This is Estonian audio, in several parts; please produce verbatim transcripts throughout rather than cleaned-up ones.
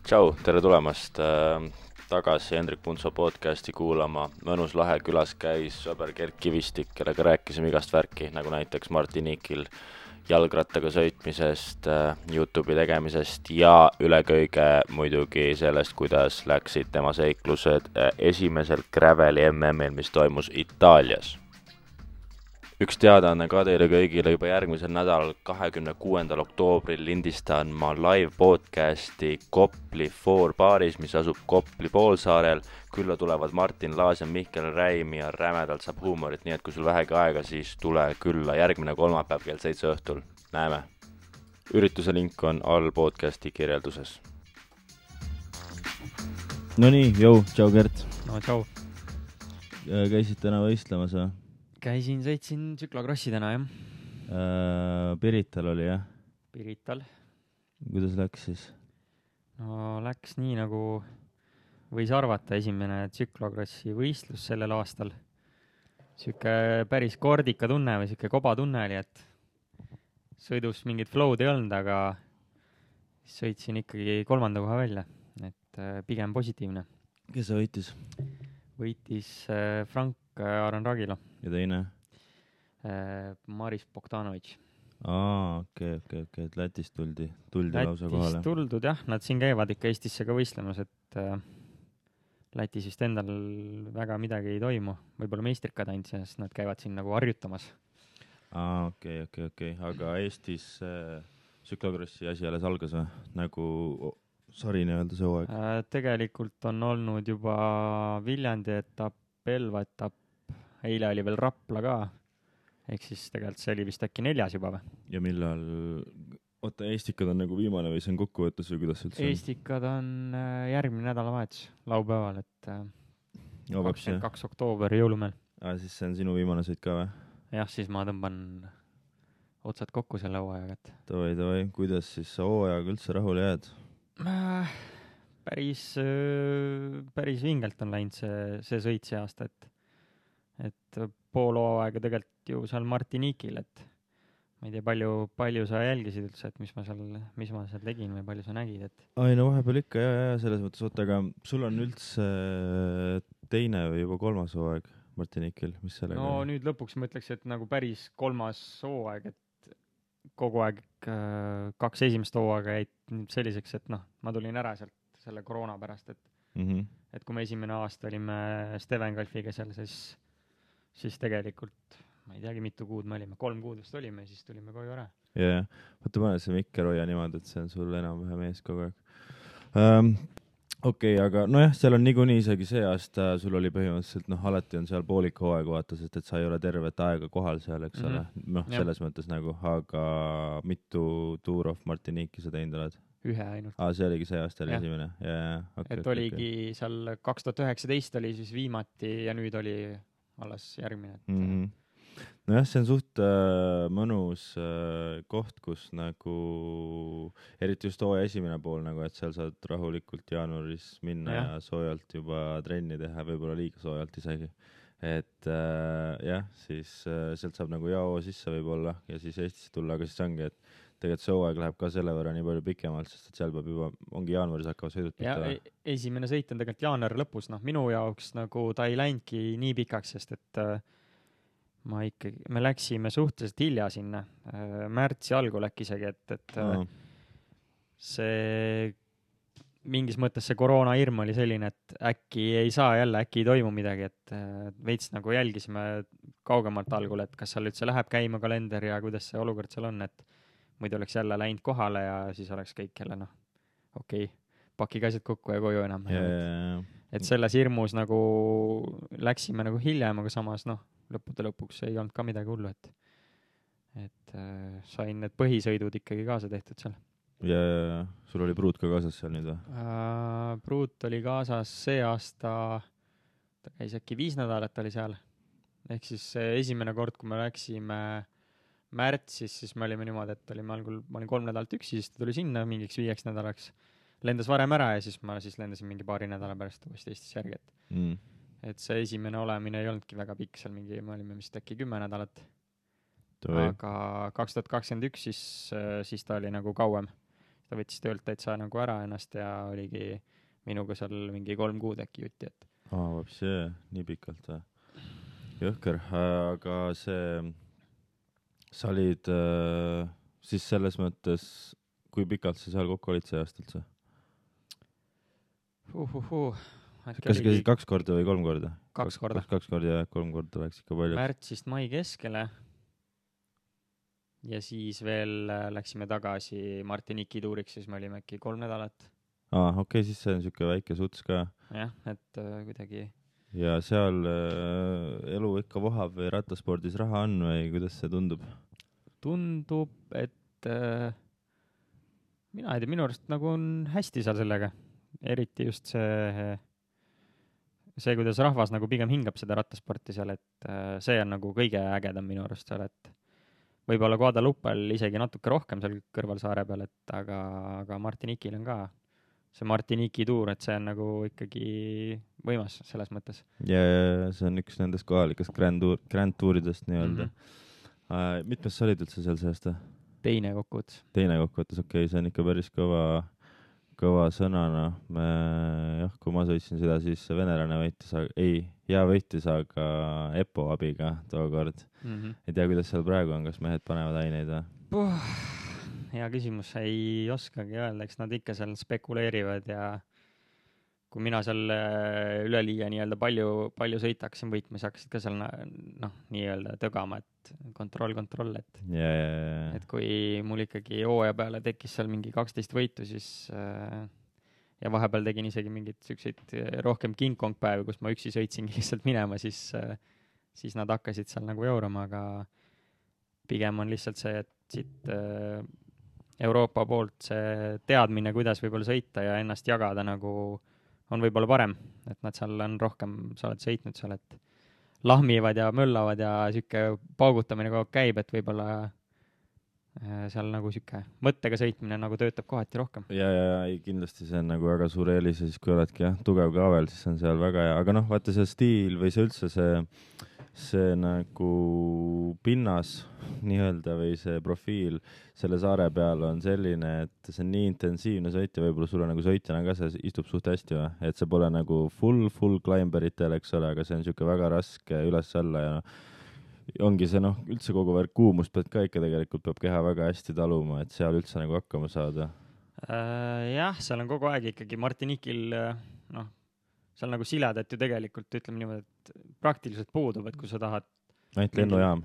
Tšau, tere tulemast äh, tagasi Hendrik Puntso podcasti kuulama. Mõnus lahe külas käis sõber Gert Kivistik, kellega rääkisime igast värki, nagu näiteks Martiniquil jalgrattaga sõitmisest, äh, YouTube'i tegemisest ja üle kõige muidugi sellest, kuidas läksid tema seiklused äh, esimesel Graveli M M-il, mis toimus Itaalias. Üks teadaanne ka teile kõigile, juba järgmisel nädalal kahekümne kuuendal oktoobril lindistan ma live podcasti Kopli Four baaris, mis asub Kopli poolsaarel. Külla tulevad Martin Laas ja Mihkel Räim ja rämedalt saab huumorit, nii et kui sul vähegi aega, siis tule külla järgmine kolmapäev kell seitse õhtul. Näeme! Ürituse link on all podcasti kirjelduses. No nii, jõu, tšau Gert. No tšau. Käisid täna võistlemas või? Käisin, sõitsin tsüklokrossi täna, jah. Äh, Pirital oli, jah? Pirital. Kuidas läks siis? No läks nii, nagu võis arvata, esimene tsüklokrossi võistlus sellel aastal. Siuke päris kordika tunne või siuke koba tunne oli, et sõidus mingit flow'd ei olnud, aga sõitsin ikkagi kolmanda koha välja, et pigem positiivne. Kes sa võitis? Võitis Frank Aran Ragilo. Ja teine? Maris Bogdanović. Aa, okei, okei, okei, et Lätist tuldi, tuldi lausa kohale. Lätist tuldud, jah, nad siin käivad ikka Eestisse ka võistlemas, et äh, Lätis vist endal väga midagi ei toimu. Võib-olla meistrikad ainult, sest nad käivad siin nagu harjutamas. Aa, okei, okei, okei, aga Eestis äh, tsüklokrossi asi alles algas või? Nagu sari nii-öelda see hooaeg? Äh, tegelikult on olnud juba Viljandi etapp, Elva etapp, eile oli veel Rapla ka, ehk siis tegelikult see oli vist äkki neljas juba või? Ja millal, oota, Eestikad on nagu viimane või see on kokkuvõttes või kuidas üldse on? Eestikad on järgmine nädalavahetus, laupäeval, et no, kakskümmend kaks oktoober jõulumeel. Aa, siis see on sinu viimane sõit ka või? Jah, siis ma tõmban otsad kokku selle hooajaga. Et... Toi, toi, kuidas siis sa hooajaga üldse rahule jääd? Äh, päris, päris vingelt on läinud see, see sõit see aasta, et et pool hooaega tegelikult ju seal Martiniquil, et ma ei tea, palju, palju sa jälgisid üldse, et mis ma seal, mis ma seal tegin või palju sa nägid, et... Ai, no vahepeal ikka, ja, ja, selles mõttes, oota, aga sul on üldse teine või juba kolmas hooaeg Martiniquil, mis sellega? No nüüd lõpuks ma ütleks, et nagu päris kolmas hooaeg, et kogu aeg kaks esimest hooaega jäid selliseks, et noh, ma tulin ära sealt selle koroona pärast, et, mm-hmm. et kui me esimene aasta olime Steven Kalfiga seal, siis siis tegelikult, ma ei teagi, mitu kuud me olime, kolm kuud vist olime ja siis tulime koju ära. Jaa, võtta pane see Mikker hoia niimoodi, et see on sul enam-vähem ees kogu aeg. Um, Okei, okay, aga nojah, seal on niikuinii isegi see aasta, sul oli põhimõtteliselt, noh, alati on seal poolik hooaeg vaata, sest et sa ei ole tervet aega kohal seal, eks ole. Mm-hmm. Noh, selles ja. Mõttes nagu, aga mitu Tour of Martinique'i sa teinud oled? Ühe ainult. Aa, see oligi see aasta oli esimene. Ja, ja, okay, et okay, oligi okay. Seal kaks tuhat üheksateist oli siis viimati ja nüüd oli alles järgmine. Et... Mm-hmm. Nojah, see on suht äh, mõnus äh, koht, kus nagu, eriti just hooaja esimene pool, nagu, et seal saad rahulikult jaanuaris minna ja, ja soojalt juba trenni teha, võib-olla liiga soojalt isegi. Et äh, jah, siis äh, sealt saab nagu jao sisse võib-olla ja siis Eestisse tulla, aga siis ongi, et tegelikult see hooaeg läheb ka selle võrra nii palju pikemalt, sest et seal peab juba, ongi jaanuaris hakkava sõidut ja e esimene sõit on tegelikult jaanuari lõpus, noh minu jaoks nagu ta ei läinudki nii pikaks, sest et äh, ma ikkagi, me läksime suhteliselt hilja sinna, äh, märtsi algul äkki isegi, et, et äh, see mingis mõttes see koroona hirm oli selline, et äkki ei saa jälle, äkki ei toimu midagi, et äh, veits nagu jälgisime kaugemalt algul, et kas seal üldse läheb käima kalender ja kuidas see olukord seal on, et muidu oleks jälle läinud kohale ja siis oleks kõik jälle, noh, okei, okay, pakige asjad kokku ja koju enam. Yeah. Et selles hirmus nagu läksime nagu hiljem, aga samas, noh, lõppude lõpuks ei olnud ka midagi hullu, et, et äh, sain need põhisõidud ikkagi kaasa tehtud seal. Ja, ja, ja. Sul oli pruut ka kaasas seal nüüd või? Uh, pruut oli kaasas see aasta, ta käis äkki viis nädalat oli seal. Ehk siis esimene kord, kui me läksime märtsis, siis me olime niimoodi, et olime algul, ma olin kolm nädalat üksi, siis ta tuli sinna mingiks viieks nädalaks. Lendas varem ära ja siis ma siis lendasin mingi paari nädala pärast uuesti Eestis järgi. Et, mm. et see esimene olemine ei olnudki väga pikk, seal mingi, me olime vist äkki kümme nädalat. Toi. Aga kaks tuhat kakskümmend üks siis, siis ta oli nagu kauem. ta võttis töölt täitsa nagu ära ennast ja oligi minuga seal mingi kolm kuud äkki jutti, et aa, vapsi, nii pikalt või? Jõhker, aga see, sa olid äh, siis selles mõttes, kui pikalt sa seal kokku olid see aasta üldse? Uhuhu. Kas käisid kaks korda või kolm korda? Kaks korda. Kaks, kaks korda ja kolm korda läks ikka palju. Märtsist mai keskele ja siis veel läksime tagasi Martiniki tuuriks, siis me olime äkki kolm nädalat. Aa, okei, okay, siis see on siuke väike suts ka. Jah, et äh, kuidagi. Ja seal äh, elu ikka vohab või rattaspordis raha on või kuidas see tundub? Tundub, et äh, mina ei tea, minu arust nagu on hästi seal sellega. Eriti just see, see, kuidas rahvas nagu pigem hingab seda rattasporti seal, et äh, see on nagu kõige ägedam minu arust seal, et võib-olla Guadalupel isegi natuke rohkem seal kõrval saare peal, et aga, aga Martinikil on ka see Martiniki tuur, et see on nagu ikkagi võimas selles mõttes. Ja, ja see on üks nendest kohalikest Grand, tuur, grand tuuridest nii-öelda. Mm-hmm. Uh, mitmes sa olid üldse seal see aasta? Teine kokkuvõttes. Teine kokkuvõttes, okei, okay, see on ikka päris kõva, kõva sõnana. Me, jah, kui ma sõitsin seda, siis venelane võitis, ei, ja võitis, aga Epo abiga tookord. Mm-hmm. Ei tea, kuidas seal praegu on, kas mehed panevad aineid või? Puh. Hea küsimus, ei oskagi öelda, eks nad ikka seal spekuleerivad ja kui mina seal üleliia nii-öelda palju, palju sõitaksin võitma, siis hakkasid ka seal noh, nii-öelda tõgama, et kontroll, kontroll, et, yeah, yeah, yeah. et kui mul ikkagi hooaja peale tekkis seal mingi kaksteist võitu, siis ja vahepeal tegin isegi mingid selliseid rohkem King Kong päevi, kus ma üksi sõitsingi lihtsalt minema, siis, siis nad hakkasid seal nagu jaurama, aga pigem on lihtsalt see, et siit Euroopa poolt see teadmine, kuidas võib-olla sõita ja ennast jagada nagu on võib-olla parem, et nad seal on rohkem, sa oled sõitnud seal, et lahmivad ja möllavad ja siuke paugutamine kogu aeg käib, et võib-olla seal nagu siuke mõttega sõitmine nagu töötab kohati rohkem. Ja, ja, ja kindlasti see on nagu väga suur eelis ja siis kui oledki jah, tugev kaavel, siis on seal väga hea, aga noh, vaata see stiil või see üldse see see nagu pinnas nii-öelda või see profiil selle saare peal on selline, et see on nii intensiivne sõit ja võib-olla sulle nagu sõitjana ka see istub suht hästi või? Et see pole nagu full, full climberitel, eks ole, aga see on siuke väga raske üles-alla ja noh, ongi see noh, üldse kogu värk kuumust pead ka ikka tegelikult peab keha väga hästi taluma, et seal üldse nagu hakkama saada. Äh, jah, seal on kogu aeg ikkagi Martinikil noh, seal nagu siledat ju tegelikult, ütleme niimoodi, et praktiliselt puudub, et kui sa tahad ainult lennujaam.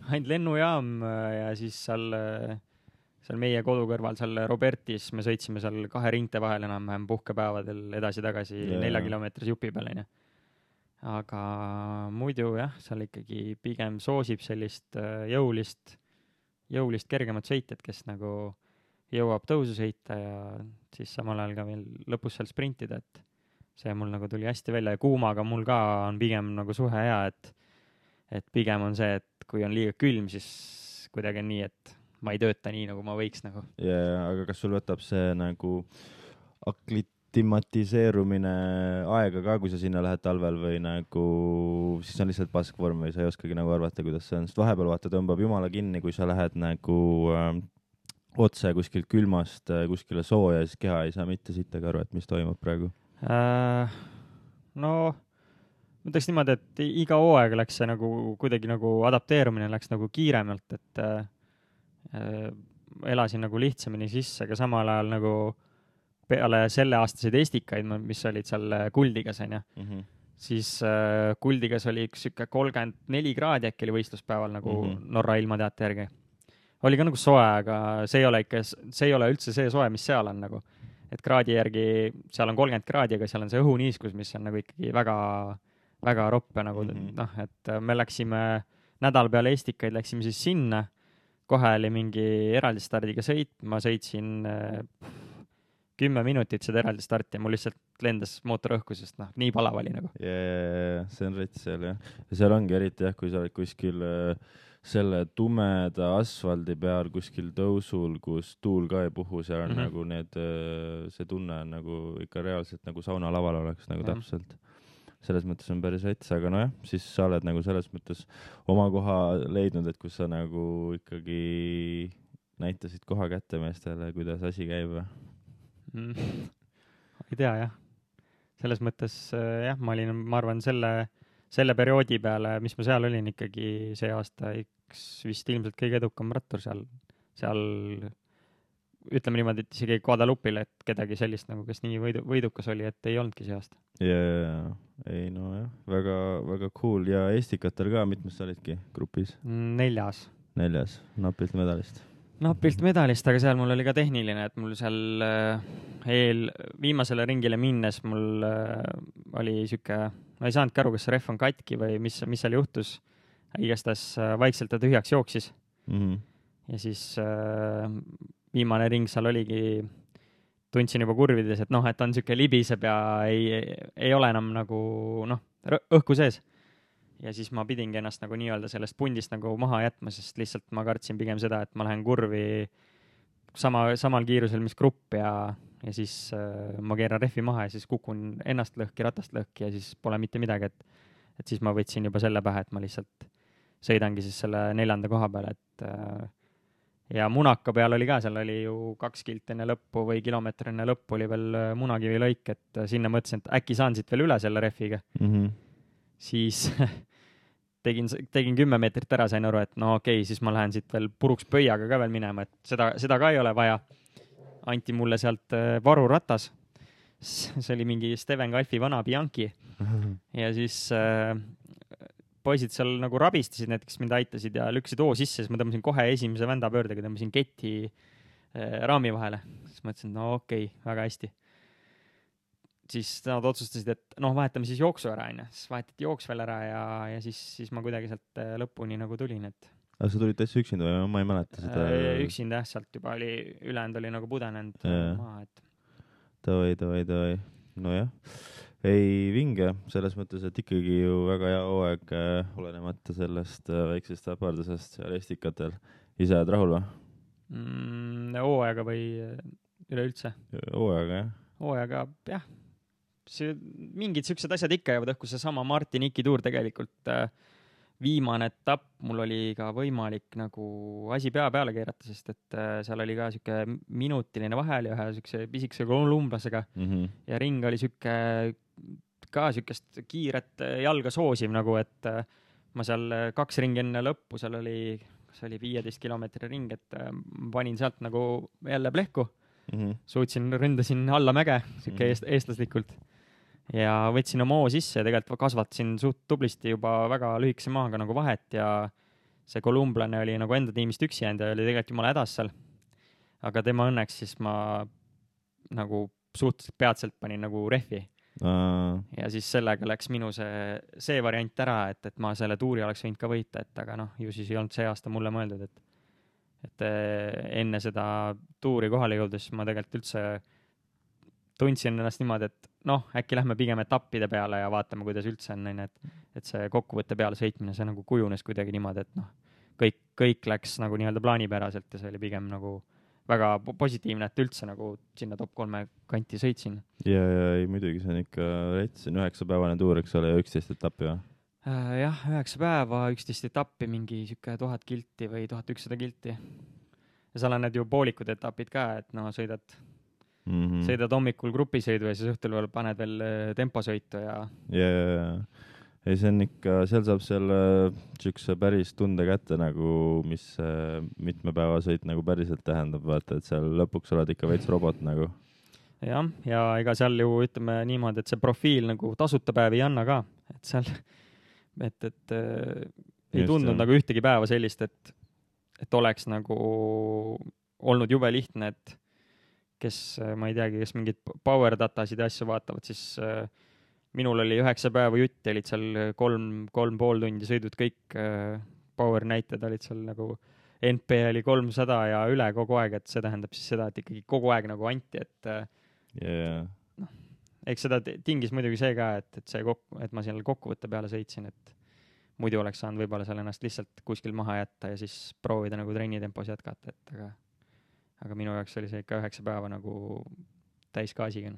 Ainult lennujaam ja siis seal, seal meie kodu kõrval, seal Robertis me sõitsime seal kahe ringte vahel enam-vähem puhkepäevadel edasi-tagasi yeah. nelja kilomeetris jupi peal. Aga muidu jah, seal ikkagi pigem soosib sellist jõulist, jõulist kergemat sõitjat, kes nagu jõuab tõusu sõita ja siis samal ajal ka veel lõpus seal sprintida, et see mul nagu tuli hästi välja ja kuumaga mul ka on pigem nagu suhe hea, et, et pigem on see, et kui on liiga külm, siis kuidagi on nii, et ma ei tööta nii, nagu ma võiks nagu. Ja, aga kas sul võtab see nagu aklimatiseerumine aega ka, kui sa sinna lähed talvel või nagu siis on lihtsalt paskvorm või sa ei oskagi nagu arvata, kuidas see on, sest vahepeal vaata tõmbab jumala kinni, kui sa lähed nagu äh, otse kuskilt külmast äh, kuskile sooja, siis keha ei saa mitte sittagi aru, et mis toimub praegu. Äh, no ma ütleks niimoodi, et iga hooaeg läks see nagu kuidagi nagu adapteerumine läks nagu kiiremalt, et äh, elasin nagu lihtsamini sisse, aga samal ajal nagu peale selle aastaseid estikaid, mis olid seal Kuldigas, on ja, mm-hmm. siis äh, Kuldigas oli üks siuke kolmkümmend neli kraadi äkki oli võistluspäeval nagu mm-hmm. Norra ilmateate järgi. Oli ka nagu soe, aga see ei ole ikka, see ei ole üldse see soe, mis seal on nagu. Et kraadi järgi, seal on kolmkümmend kraadi, aga seal on see õhuniiskus, mis on nagu ikkagi väga, väga roppe nagu, mm-hmm. noh, et me läksime nädal peale estikaid, läksime siis sinna, kohe oli mingi eraldi stardiga sõit, ma sõitsin äh, kümme minutit seda eraldi starti ja mul lihtsalt lendas mootor õhku, sest noh, nii palav oli nagu. Yeah, see on rets seal jah. Ja seal ongi eriti jah, kui sa oled kuskil äh, selle tumeda asfaldi peal kuskil tõusul, kus tuul ka ei puhu, seal on mm-hmm. nagu need, see tunne on nagu ikka reaalselt nagu sauna laval oleks nagu mm-hmm. täpselt. Selles mõttes on päris rets, aga nojah, siis sa oled nagu selles mõttes oma koha leidnud, et kus sa nagu ikkagi näitasid koha kätte meestele, kuidas asi käib või? Mm. ei tea jah. Selles mõttes jah, ma olin, ma arvan, selle, selle perioodi peale, mis ma seal olin ikkagi see aasta, üks vist ilmselt kõige edukam rattur seal, seal ütleme niimoodi, et isegi Guadalupe'il, et kedagi sellist nagu, kes nii võidu, võidukas oli, et ei olnudki see aasta. jaa, ei no jah, väga, väga cool ja Estikatel ka, mitmes sa olidki grupis? Neljas. Neljas, napilt medalist. Napilt medalist, aga seal mul oli ka tehniline, et mul seal eel, viimasele ringile minnes mul oli siuke, ma ei saanudki aru, kas see ref on katki või mis, mis seal juhtus. Igastahes vaikselt ta tühjaks jooksis. Mm-hmm. Ja siis viimane ring seal oligi, tundsin juba kurvides, et noh, et on siuke libiseb ja ei, ei ole enam nagu noh, õhku sees. Ja siis ma pidingi ennast nagu nii-öelda sellest pundist nagu maha jätma, sest lihtsalt ma kartsin pigem seda, et ma lähen kurvi sama, samal kiirusel, mis grupp ja, ja siis äh, ma keeran refi maha ja siis kukun ennast lõhki, ratast lõhki ja siis pole mitte midagi, et, et siis ma võtsin juba selle pähe, et ma lihtsalt sõidangi siis selle neljanda koha peale, et äh, ja Munaka peal oli ka, seal oli ju kaks kilt enne lõppu või kilomeetri enne lõppu oli veel Munakivi lõik, et sinna mõtlesin, et äkki saan siit veel üle selle refiga. Mm-hmm. Siis tegin, tegin kümme meetrit ära, sain aru, et no okei, okay, siis ma lähen siit veel puruks pöiaga ka veel minema, et seda, seda ka ei ole vaja. Anti mulle sealt varuratas. See oli mingi Steven Kalfi vana Bianchi. Ja siis äh, poisid seal nagu rabistasid, need, kes mind aitasid ja lükkasid oo sisse, siis ma tõmbasin kohe esimese vändapöördega, tõmbasin keti äh, raami vahele. Siis mõtlesin, no okei, okay, väga hästi. Siis nad otsustasid, et noh, vahetame siis jooksu ära, aine. Siis vahetati jooks veel ära ja, ja siis, siis ma kuidagi sealt lõpuni nagu tulin. Et... Aga sa tulid täitsa üksinda või? Ma ei mäleta seda. Üksinda jah, sealt juba oli, ülejäänud oli nagu pudenenud maa. Et... Tavai, tavai, tavai. No jah. Ei vinge, selles mõttes, et ikkagi ju väga hea hooaeg äh, olenemata sellest äh, väiksest äpardusest seal Estikatel. Ise oled rahul või? Mm, hooaega või üleüldse? Hooaega, jah. Hooaega, jah. See, mingid siuksed asjad ikka jäävad õhku, see sama Martiniki tuur tegelikult äh, viimane etapp, mul oli ka võimalik nagu asi pea peale keerata, sest et äh, seal oli ka siuke minutiline vahel ja ühe siukse pisikese kolumblasega mm-hmm. ja ring oli siuke ka siukest kiiret jalga soosiv nagu, et äh, ma seal kaks ringi enne lõppu, seal oli, see oli viieteist kilomeetri ring, et äh, panin sealt nagu jälle plehku mm-hmm. suutsin, ründasin alla mäge siuke mm-hmm. eest, eestlaslikult ja võtsin oma oo sisse ja tegelikult kasvatasin suht tublisti juba väga lühikese maaga nagu vahet ja see kolumblane oli nagu enda tiimist üksi jäänud ja oli tegelikult jumala hädas seal. Aga tema õnneks siis ma nagu suhteliselt peatselt panin nagu refi. Uh. Ja siis sellega läks minu see, see variant ära, et, et ma selle tuuri oleks võinud ka võita, et aga noh, ju siis ei olnud see aasta mulle mõeldud, et, et enne seda tuuri kohale jõudes ma tegelikult üldse tundsin ennast niimoodi, et noh, äkki lähme pigem etappide peale ja vaatame, kuidas üldse on, et, et see kokkuvõtte peale sõitmine, see nagu kujunes kuidagi niimoodi, et noh, kõik, kõik läks nagu nii-öelda plaanipäraselt ja see oli pigem nagu väga positiivne, et üldse nagu sinna top kolme kanti sõitsin. Ja, ja ei, muidugi see on ikka retsin üheksa päevane tuur, eks ole, ja üksteist etappi või? Äh, jah, üheksa päeva, üksteist etappi, mingi siuke tuhat kilti või tuhat ükssada kilti. Ja seal on need ju poolikud etapid ka, et no sõidad Mm-hmm. sõidad hommikul grupisõidu ja siis õhtul veel paned veel temposõitu ja... Ja, ja, ja. Ei, see on ikka, seal saab selle siukse päris tunde kätte nagu, mis mitme päeva sõit nagu päriselt tähendab, vaata, et seal lõpuks oled ikka veits robot nagu. Jah, ja ega seal ju ütleme niimoodi, et see profiil nagu tasuta päev ei anna ka, et seal, et, et äh, ei tundnud jah. Nagu ühtegi päeva sellist, et, et oleks nagu olnud jube lihtne, et kes, ma ei teagi, kes mingid power datasid ja asju vaatavad, siis äh, minul oli üheksa päeva jutti, olid seal kolm, kolm pool tundi sõidud kõik äh, power näited olid seal nagu N P oli kolmsada ja üle kogu aeg, et see tähendab siis seda, et ikkagi kogu aeg nagu anti, et äh, yeah. noh, eks seda tingis muidugi see ka, et, et see kokku, et ma seal kokkuvõtte peale sõitsin, et muidu oleks saanud võib-olla seal ennast lihtsalt kuskil maha jätta ja siis proovida nagu trennitempos jätkata, et aga aga minu jaoks oli see ikka üheksa päeva nagu täisgaasiga.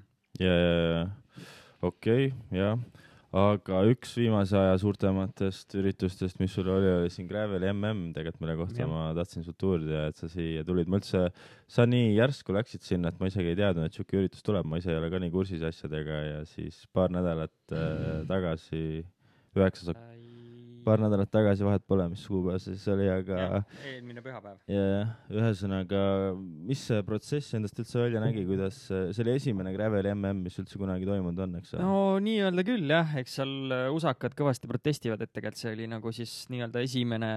Ja, ja, ja. Okei, okay, jah. aga üks viimase aja suurtematest üritustest, mis sul oli, oli siin Graveli M M tegelikult, mille kohta ja. ma tahtsin sult uurida, et sa siia tulid. Ma üldse, sa nii järsku läksid sinna, et ma isegi ei teadnud, et siuke üritus tuleb. Ma ise ei ole ka nii kursis asjadega ja siis paar nädalat äh, tagasi, üheksas paar nädalat tagasi, vahet pole, mis kuupäev see siis oli, aga ja, eelmine pühapäev. Ja, ühesõnaga, mis see protsess endast üldse välja nägi, kuidas see oli esimene Graveli M M, mis üldse kunagi toimunud on, eks? No nii-öelda küll, jah, eks seal usakad kõvasti protestivad, et tegelikult see oli nagu siis nii-öelda esimene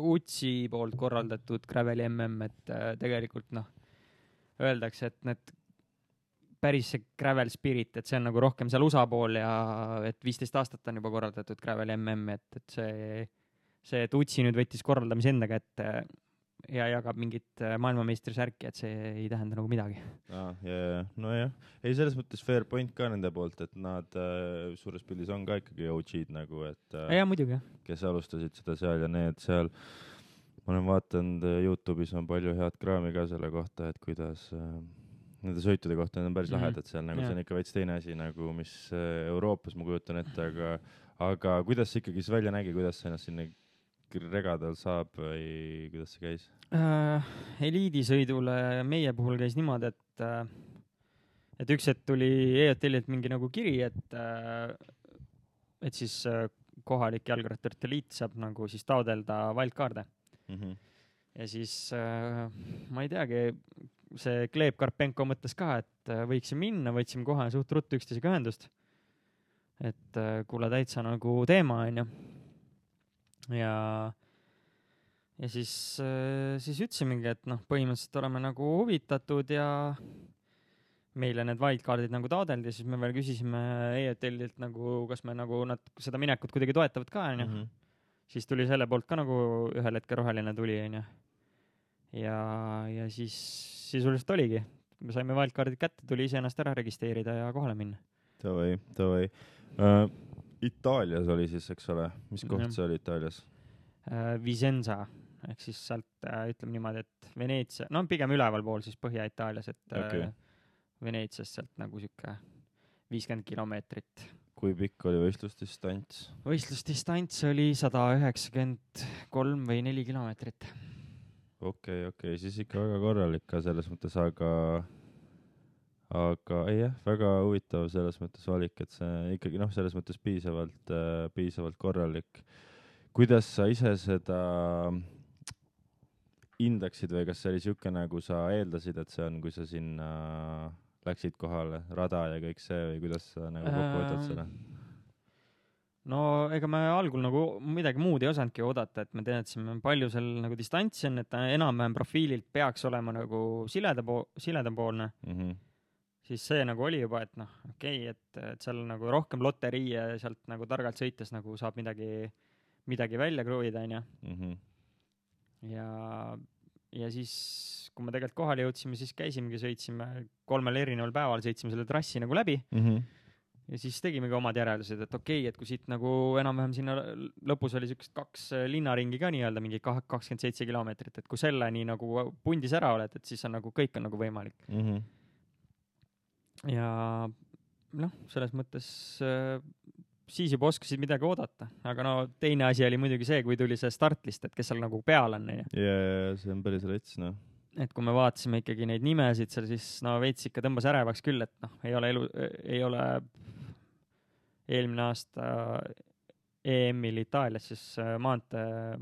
U T S I poolt korraldatud Graveli M M, et tegelikult noh, öeldakse, et need päris see Gravel Spirit, et see on nagu rohkem seal U S A pool ja et viisteist aastat on juba korraldatud Graveli M M, et, et see, see, et U T S I nüüd võttis korraldamise enda kätte ja jagab mingit maailmameistrisärki, et see ei tähenda nagu midagi. Ah, ja, ja, no jah. Ei, selles mõttes fair point ka nende poolt, et nad äh, suures pildis on ka ikkagi O G-d nagu, et äh, ja, muidugi. Kes alustasid seda seal ja need seal, ma olen vaatanud, YouTube'is on palju head kraami ka selle kohta, et kuidas äh, nende sõitude kohta on päris mm -hmm. lahedad seal, nagu yeah. see on ikka veits teine asi, nagu mis Euroopas ma kujutan ette, aga, aga kuidas see ikkagi siis välja nägi, kuidas see ennast sinna regadel saab või kuidas see käis? Uh, eliidisõidule meie puhul käis niimoodi, et, uh, et üks hetk tuli E O T L-ilt mingi nagu kiri, et, uh, et siis uh, kohalik jalgratturite liit saab nagu siis taodelda wildcard'e. Mm -hmm. Ja siis uh, ma ei teagi, see Gleb Karpenko mõtles ka, et võiksime minna, võtsime kohe suht ruttu üksteisega ühendust. Et kuule täitsa nagu teema on ju. Ja, ja siis, siis ütlesimegi, et noh, põhimõtteliselt oleme nagu huvitatud ja meile need wildcardid nagu taadeldi, siis me veel küsisime E O T L-ilt nagu, kas me nagu nad seda minekut kuidagi toetavad ka on ju. Mm -hmm. Siis tuli selle poolt ka nagu ühel hetke roheline tuli on ju. Ja, ja siis sisuliselt oligi. Me saime wildcardid kätte, tuli ise ennast ära registreerida ja kohale minna. Tavai, tavai. Uh, Itaalias oli siis, eks ole? Mis koht mm -hmm. see oli Itaalias? Uh, Vicenza, ehk siis sealt uh, ütleme niimoodi, et Veneetsia, no pigem üleval pool siis Põhja-Itaalias, et okay. uh, Veneetsiast sealt nagu siuke viiskümmend kilomeetrit. Kui pikk oli võistlusdistants? Võistlusdistants oli sada üheksakümmend kolm või neli kilomeetrit. okei okay,, okei okay., siis ikka väga korralik ka selles mõttes, aga aga ei jah, väga huvitav selles mõttes valik, et see ikkagi noh, selles mõttes piisavalt äh, piisavalt korralik. Kuidas sa ise seda hindaksid või kas see oli siuke, nagu sa eeldasid, et see on, kui sa sinna läksid kohale, rada ja kõik see või kuidas sa nagu kokku võtad seda? No ega me algul nagu midagi muud ei osanudki oodata, et me teadsime palju seal nagu distantsi on, et ta enam-vähem profiililt peaks olema nagu sileda po- siledapoolne. Mm -hmm. Siis see nagu oli juba, et noh, okei, okay, et, et seal nagu rohkem loterii ja sealt nagu targalt sõites nagu saab midagi, midagi välja kruida, on ju. Mm -hmm. Ja, ja siis, kui me tegelikult kohale jõudsime, siis käisimegi, sõitsime kolmel erineval päeval, sõitsime selle trassi nagu läbi. Mm -hmm. Ja siis tegimegi omad järeldused, et okei, okay, et kui siit nagu enam-vähem sinna lõpus oli siukest kaks linnaringi ka nii-öelda, mingi kakskümmend seitse kilomeetrit, et kui selle nii nagu pundis ära oled, et siis on nagu kõik on nagu võimalik. Mm -hmm. Ja noh, selles mõttes äh, siis juba oskasid midagi oodata, aga no teine asi oli muidugi see, kui tuli see startlist, et kes seal nagu peal on. Ja see on päris rets, noh. Et kui me vaatasime ikkagi neid nimesid seal, siis no veits ikka tõmbas ärevaks küll, et noh, ei ole elu, ei ole eelmine aasta E M-il Itaalias siis maantee,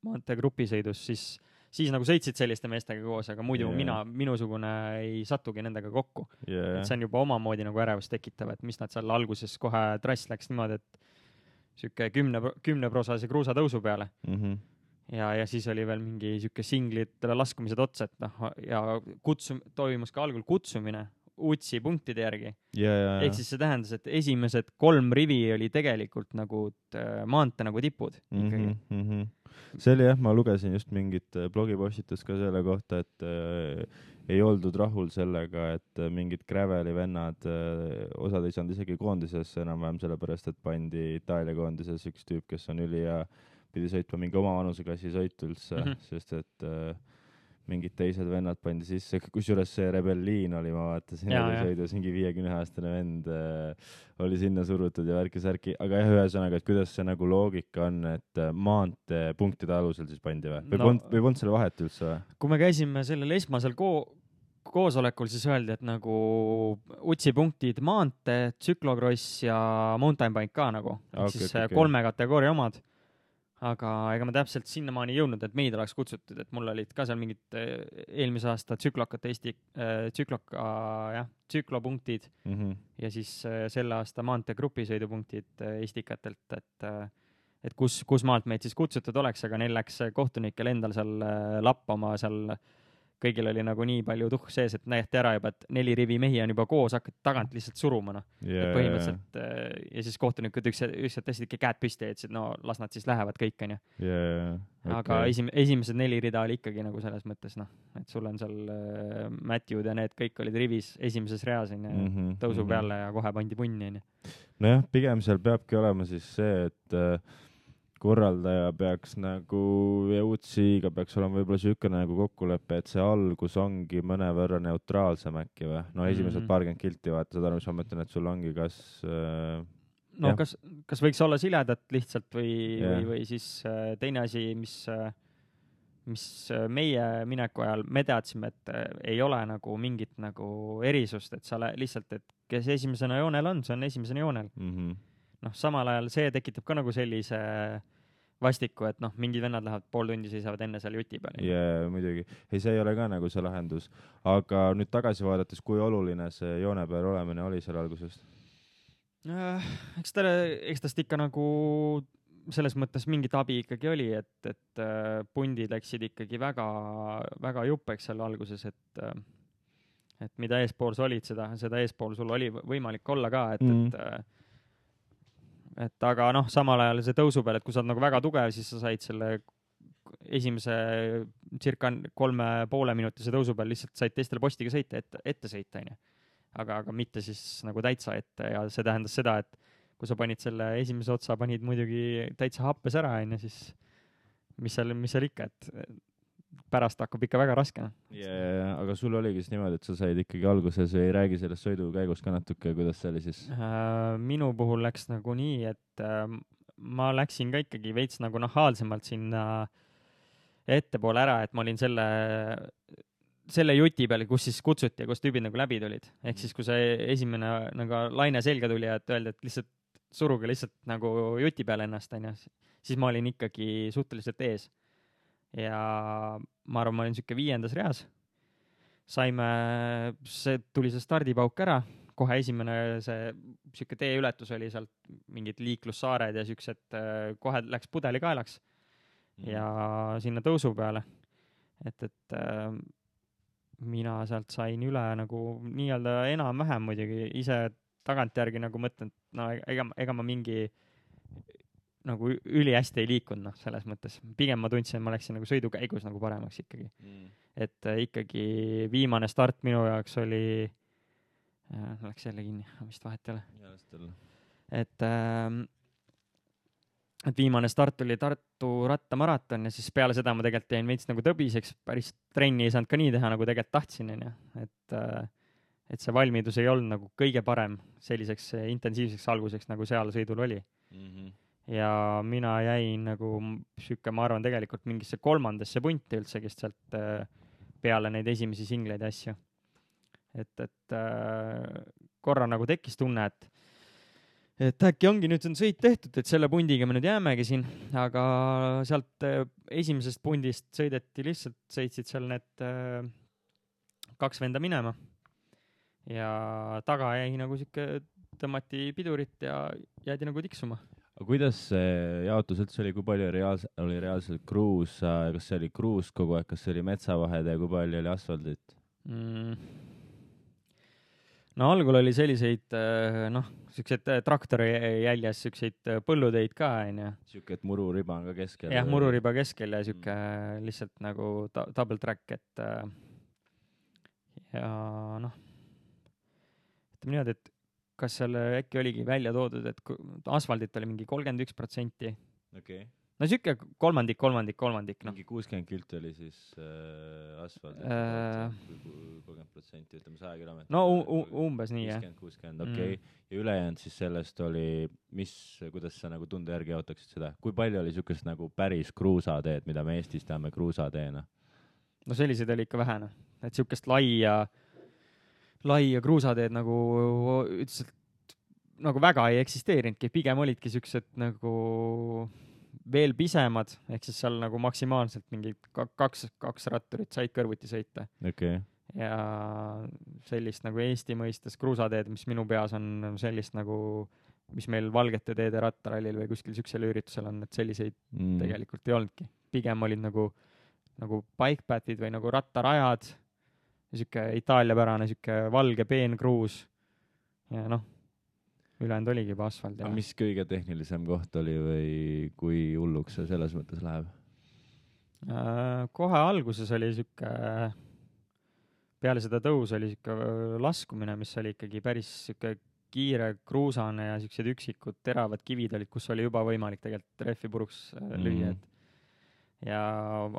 maantee grupisõidus, siis, siis nagu sõitsid selliste meestega koos, aga muidu yeah. mina, minusugune ei satugi nendega kokku. Yeah. Et see on juba omamoodi nagu ärevust tekitav, et mis nad seal alguses kohe trass läks niimoodi, et siuke kümne, kümne prosase kruusatõusu peale. Mm -hmm. Ja, ja siis oli veel mingi siuke singlitele laskumised otsa, et noh, ja kutsum, toimus ka algul kutsumine U T S I punktide järgi. Yeah, yeah, ehk siis see tähendas, et esimesed kolm rivi oli tegelikult nagu maantee nagu tipud ikkagi. Mm -hmm. See oli jah, ma lugesin just mingit blogipostitust ka selle kohta, et äh, ei oldud rahul sellega, et mingid Graveli vennad, äh, osad ei saanud isegi koondisesse enam-vähem sellepärast, et pandi Itaalia koondises üks tüüp, kes on üli ja pidi sõitma mingi oma vanuseklassi sõitu üldse, mm -hmm. sest et äh, mingid teised vennad pandi sisse, kusjuures see Rebelliin oli, ma vaatasin, oli sõidus mingi viiekümne aastane vend äh, oli sinna surutud ja värki-särki, aga jah, ühesõnaga, et kuidas see nagu loogika on, et maantee punktide alusel siis pandi või? Või no, polnud, või polnud selle vahet üldse või? Kui me käisime sellel esmasel ko- koosolekul, siis öeldi, et nagu utsi punktid maantee, tsüklokross ja mountain bike ka nagu, okay, siis okay, kolme kategooria omad. Aga ega ma täpselt sinnamaani jõudnud, et meid oleks kutsutud, et mul olid ka seal mingid eelmise aasta tsüklokate Eesti, äh, tsükloka, jah, tsüklopunktid mm-hmm. ja siis äh, selle aasta maantee grupisõidupunktid äh, Estikatelt, et, äh, et kus, kus maalt meid siis kutsutud oleks, aga neil läks kohtunikel endal seal äh, lappama seal kõigil oli nagu nii palju tuhk sees, et näete ära juba, et neli rivi mehi on juba koos, hakkad tagant lihtsalt suruma, noh. Yeah. Põhimõtteliselt, ja siis kohtunikud üks, üks tõstsid ikka käed püsti ja ütlesid, no las nad siis lähevad kõik, on ju. Yeah. Okay. Aga esim, esimesed neli rida oli ikkagi nagu selles mõttes, noh, et sul on seal äh, Matthew'd ja need kõik olid rivis esimeses reas, on ju, mm-hmm. tõusu mm-hmm. peale ja kohe pandi punni, on ju. Nojah, pigem seal peabki olema siis see, et äh, korraldaja peaks nagu ja Utsiga peaks olema võib-olla sükene nagu kokkulepe, et see algus ongi mõnevõrra neutraalsem äkki või? No esimesed mm-hmm. paarkümmend kilti vaata, seda mis ma mõtlen, et sul ongi kas äh, no jah. kas, kas võiks olla siledat lihtsalt või, yeah. või, või siis äh, teine asi, mis, äh, mis äh, meie mineku ajal me teadsime, et äh, ei ole nagu mingit nagu erisust, et sa le- lihtsalt, et kes esimesena joonel on, see on esimesena joonel. Mm-hmm. noh, samal ajal see tekitab ka nagu sellise vastiku, et noh, mingid vennad lähevad pool tundi, seisavad enne seal juti peal. Jaa, muidugi. Ei, see ei ole ka nagu see lahendus. Aga nüüd tagasi vaadates, kui oluline see joone peal olemine oli seal algusest? Äh, eks ta, eks tast ikka nagu selles mõttes mingit abi ikkagi oli, et, et äh, pundid läksid ikkagi väga, väga juppeks seal alguses, et äh, et mida eespool sa olid, seda, seda eespool sul oli võimalik olla ka, et mm. et äh, et aga noh, samal ajal see tõusu peal, et kui sa oled nagu väga tugev, siis sa said selle esimese circa kolme poole minutise tõusu peal lihtsalt said teistele postiga sõita, ette, ette sõita, on ju. Aga, aga mitte siis nagu täitsa ette ja see tähendas seda, et kui sa panid selle esimese otsa, panid muidugi täitsa happes ära, on ju, siis mis seal, mis seal ikka, et pärast hakkab ikka väga raske. Yeah, aga sul oligi siis niimoodi, et sa said ikkagi alguses või ei räägi sellest sõidu käigus ka natuke, kuidas see oli siis? Äh, minu puhul läks nagu nii, et äh, ma läksin ka ikkagi veits nagu nahaalsemalt sinna ettepoole ära, et ma olin selle, selle juti peal, kus siis kutsuti ja kus tüübid nagu läbi tulid. Ehk siis, kui see esimene nagu laine selga tuli ja et öeldi, et lihtsalt suruge lihtsalt nagu juti peale ennast, on ju, siis ma olin ikkagi suhteliselt ees. Ja ma arvan, ma olin siuke viiendas reas. Saime, see tuli see stardipauk ära, kohe esimene see siuke teeületus oli sealt mingid liiklussaared ja siuksed, kohe läks pudeli kaelaks mm. ja sinna tõusu peale. Et, et äh, mina sealt sain üle nagu nii-öelda enam-vähem muidugi ise tagantjärgi nagu mõtlen, et no ega, ega ma mingi nagu üli hästi ei liikunud, noh, selles mõttes. Pigem ma tundsin, et ma läksin nagu sõidukäigus nagu paremaks ikkagi. Mm. Et äh, ikkagi viimane start minu jaoks oli, äh, läks jälle kinni, vist vahet ei ole. Et, äh, et viimane start oli Tartu rattamaraton ja siis peale seda ma tegelikult jäin veits nagu tõbiseks, päris trenni ei saanud ka nii teha, nagu tegelikult tahtsin, on ju. Et, äh, et see valmidus ei olnud nagu kõige parem selliseks intensiivseks alguseks, nagu seal sõidul oli. Mm-hmm. Ja mina jäin nagu süke, ma arvan, tegelikult mingisse kolmandasse punti üldse, kes sealt peale neid esimesi singleid ja asju. Et, et korra nagu tekkis tunne, et, et äkki ongi nüüd on sõit tehtud, et selle pundiga me nüüd jäämegi siin, aga sealt esimesest pundist sõideti lihtsalt, sõitsid seal need kaks venda minema ja taga jäi nagu süke, tõmmati pidurit ja jäädi nagu tiksuma. Aga kuidas see jaotus üldse oli, kui palju reaalse, oli reaalselt kruus, kas see oli kruus kogu aeg, kas see oli metsavahed ja kui palju oli asfaldit? Mm. No algul oli selliseid, noh, sellised traktori jäljes, selliseid põlluteid ka, on ju. Siuke, et mururiba on ka keskel. Jah, mururiba keskel ja siuke mm. lihtsalt nagu ta- double track, et ja noh, ütleme niimoodi, et kas seal äkki oligi välja toodud, et asfaldit oli mingi kolmkümmend üks protsenti okay. no siuke kolmandik, kolmandik, kolmandik, noh. mingi kuuskümmend kilti oli siis äh, asfalt, Äh, kolmkümmend protsenti, ütleme saja kilomeetri. no u- umbes nii, jah. viiskümmend, kuuskümmend, okei. Ja ülejäänud siis sellest oli, mis, kuidas sa nagu tunde järgi jaotaksid seda? Kui palju oli siukest nagu päris kruusateed, mida me Eestis teame kruusateena? No selliseid oli ikka vähe, noh. Et siukest laia, laia kruusateed nagu ütlesid, nagu väga ei eksisteerinudki, pigem olidki siuksed nagu veel pisemad, ehk siis seal nagu maksimaalselt mingi kaks, kaks ratturit said kõrvuti sõita. Okay. Ja sellist nagu Eesti mõistes kruusateed, mis minu peas on sellist nagu, mis meil Valgete teede rattarallil või kuskil siuksel üritusel on, et selliseid mm. tegelikult ei olnudki. Pigem olid nagu, nagu bikepathid või nagu rattarajad, siuke Itaalia-pärane, siuke valge peenkruus ja noh, ülejäänud oligi juba asfalt. Ja mis kõige tehnilisem koht oli või kui hulluks see selles mõttes läheb? Kohe alguses oli siuke, peale seda tõus oli siuke laskumine, mis oli ikkagi päris siuke kiire kruusane ja siuksed üksikud teravad kivid olid, kus oli juba võimalik tegelikult rehvi puruks lüüa. Mm. Ja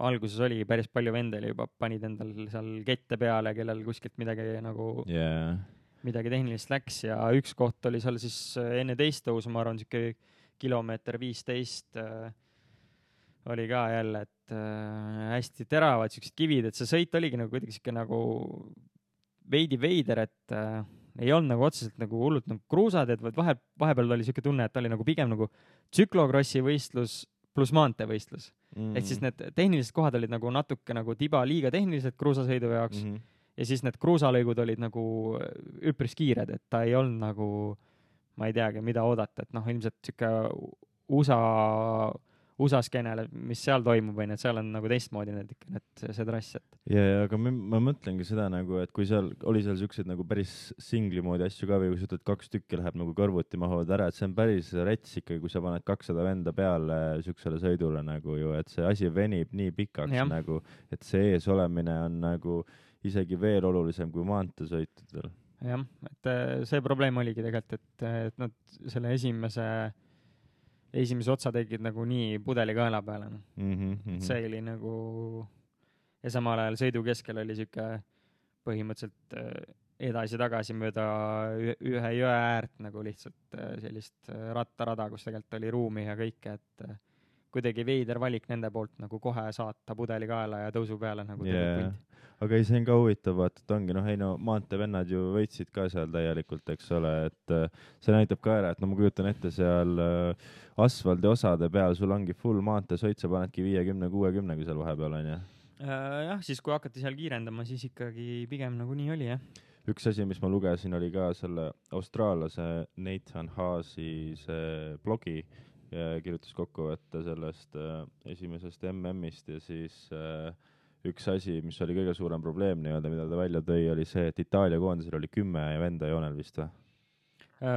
alguses oli päris palju vendeli juba, panid endal seal kette peale, kellel kuskilt midagi nagu... Yeah. midagi tehnilist läks ja üks koht oli seal siis enne teist tõusu, ma arvan, siuke kilomeeter viisteist äh, oli ka jälle, et äh, hästi teravad siuksed kivid, et see sõit oligi nagu kuidagi siuke nagu veidi veider, et äh, ei olnud nagu otseselt nagu hullult nagu kruusateed, vaid vahe, vahepeal oli siuke tunne, et oli nagu pigem nagu tsüklokrossi võistlus pluss maanteevõistlus. Mm. Ehk siis need tehnilised kohad olid nagu natuke nagu tiba liiga tehnilised kruusasõidu jaoks. Mm-hmm. Ja siis need kruusalõigud olid nagu üpris kiired, et ta ei olnud nagu, ma ei teagi, mida oodata, et noh, ilmselt siuke U S A, U S A skeenele, mis seal toimub, või need seal on nagu teistmoodi need ikka, need, see, see trass, et. Ja, ja, aga ma, ma mõtlengi seda nagu, et kui seal oli seal siukseid nagu päris singli moodi asju ka või kui sa ütled, kaks tükki läheb nagu kõrvuti mahuvad ära, et see on päris rets ikkagi, kui sa paned kakssada venda peale siuksele sõidule nagu ju, et see asi venib nii pikaks ja. Nagu, et see ees olemine on nagu isegi veel olulisem kui maanteesõitudel. Jah, et see probleem oligi tegelikult, et, et nad selle esimese, esimese otsa tegid nagu nii pudeli kaela peale. Mm -hmm. See oli nagu, ja samal ajal sõidu keskel oli siuke põhimõtteliselt edasi-tagasi mööda ühe jõe äärt nagu lihtsalt sellist rattarada, kus tegelikult oli ruumi ja kõike, et kuidagi veider valik nende poolt nagu kohe saata pudeli kaela ja tõusu peale nagu yeah. Aga ei, see on ka huvitav, vaata, et ongi, noh, ei no maantevennad ju võitsid ka seal täielikult, eks ole, et see näitab ka ära, et no ma kujutan ette seal asfaldi osade peal, sul ongi full maanteesõit, sa panedki viiekümne kuuekümne, kui seal vahepeal on, jah? Jah, siis kui hakati seal kiirendama, siis ikkagi pigem nagu nii oli, jah. Üks asi, mis ma lugesin, oli ka selle austraallase Nathan Haasi see blogi, ja kirjutas kokkuvõtte sellest äh, esimesest M M-ist ja siis äh, üks asi, mis oli kõige suurem probleem nii-öelda, mida ta välja tõi, oli see, et Itaalia koondisel oli kümme venda joonel vist või?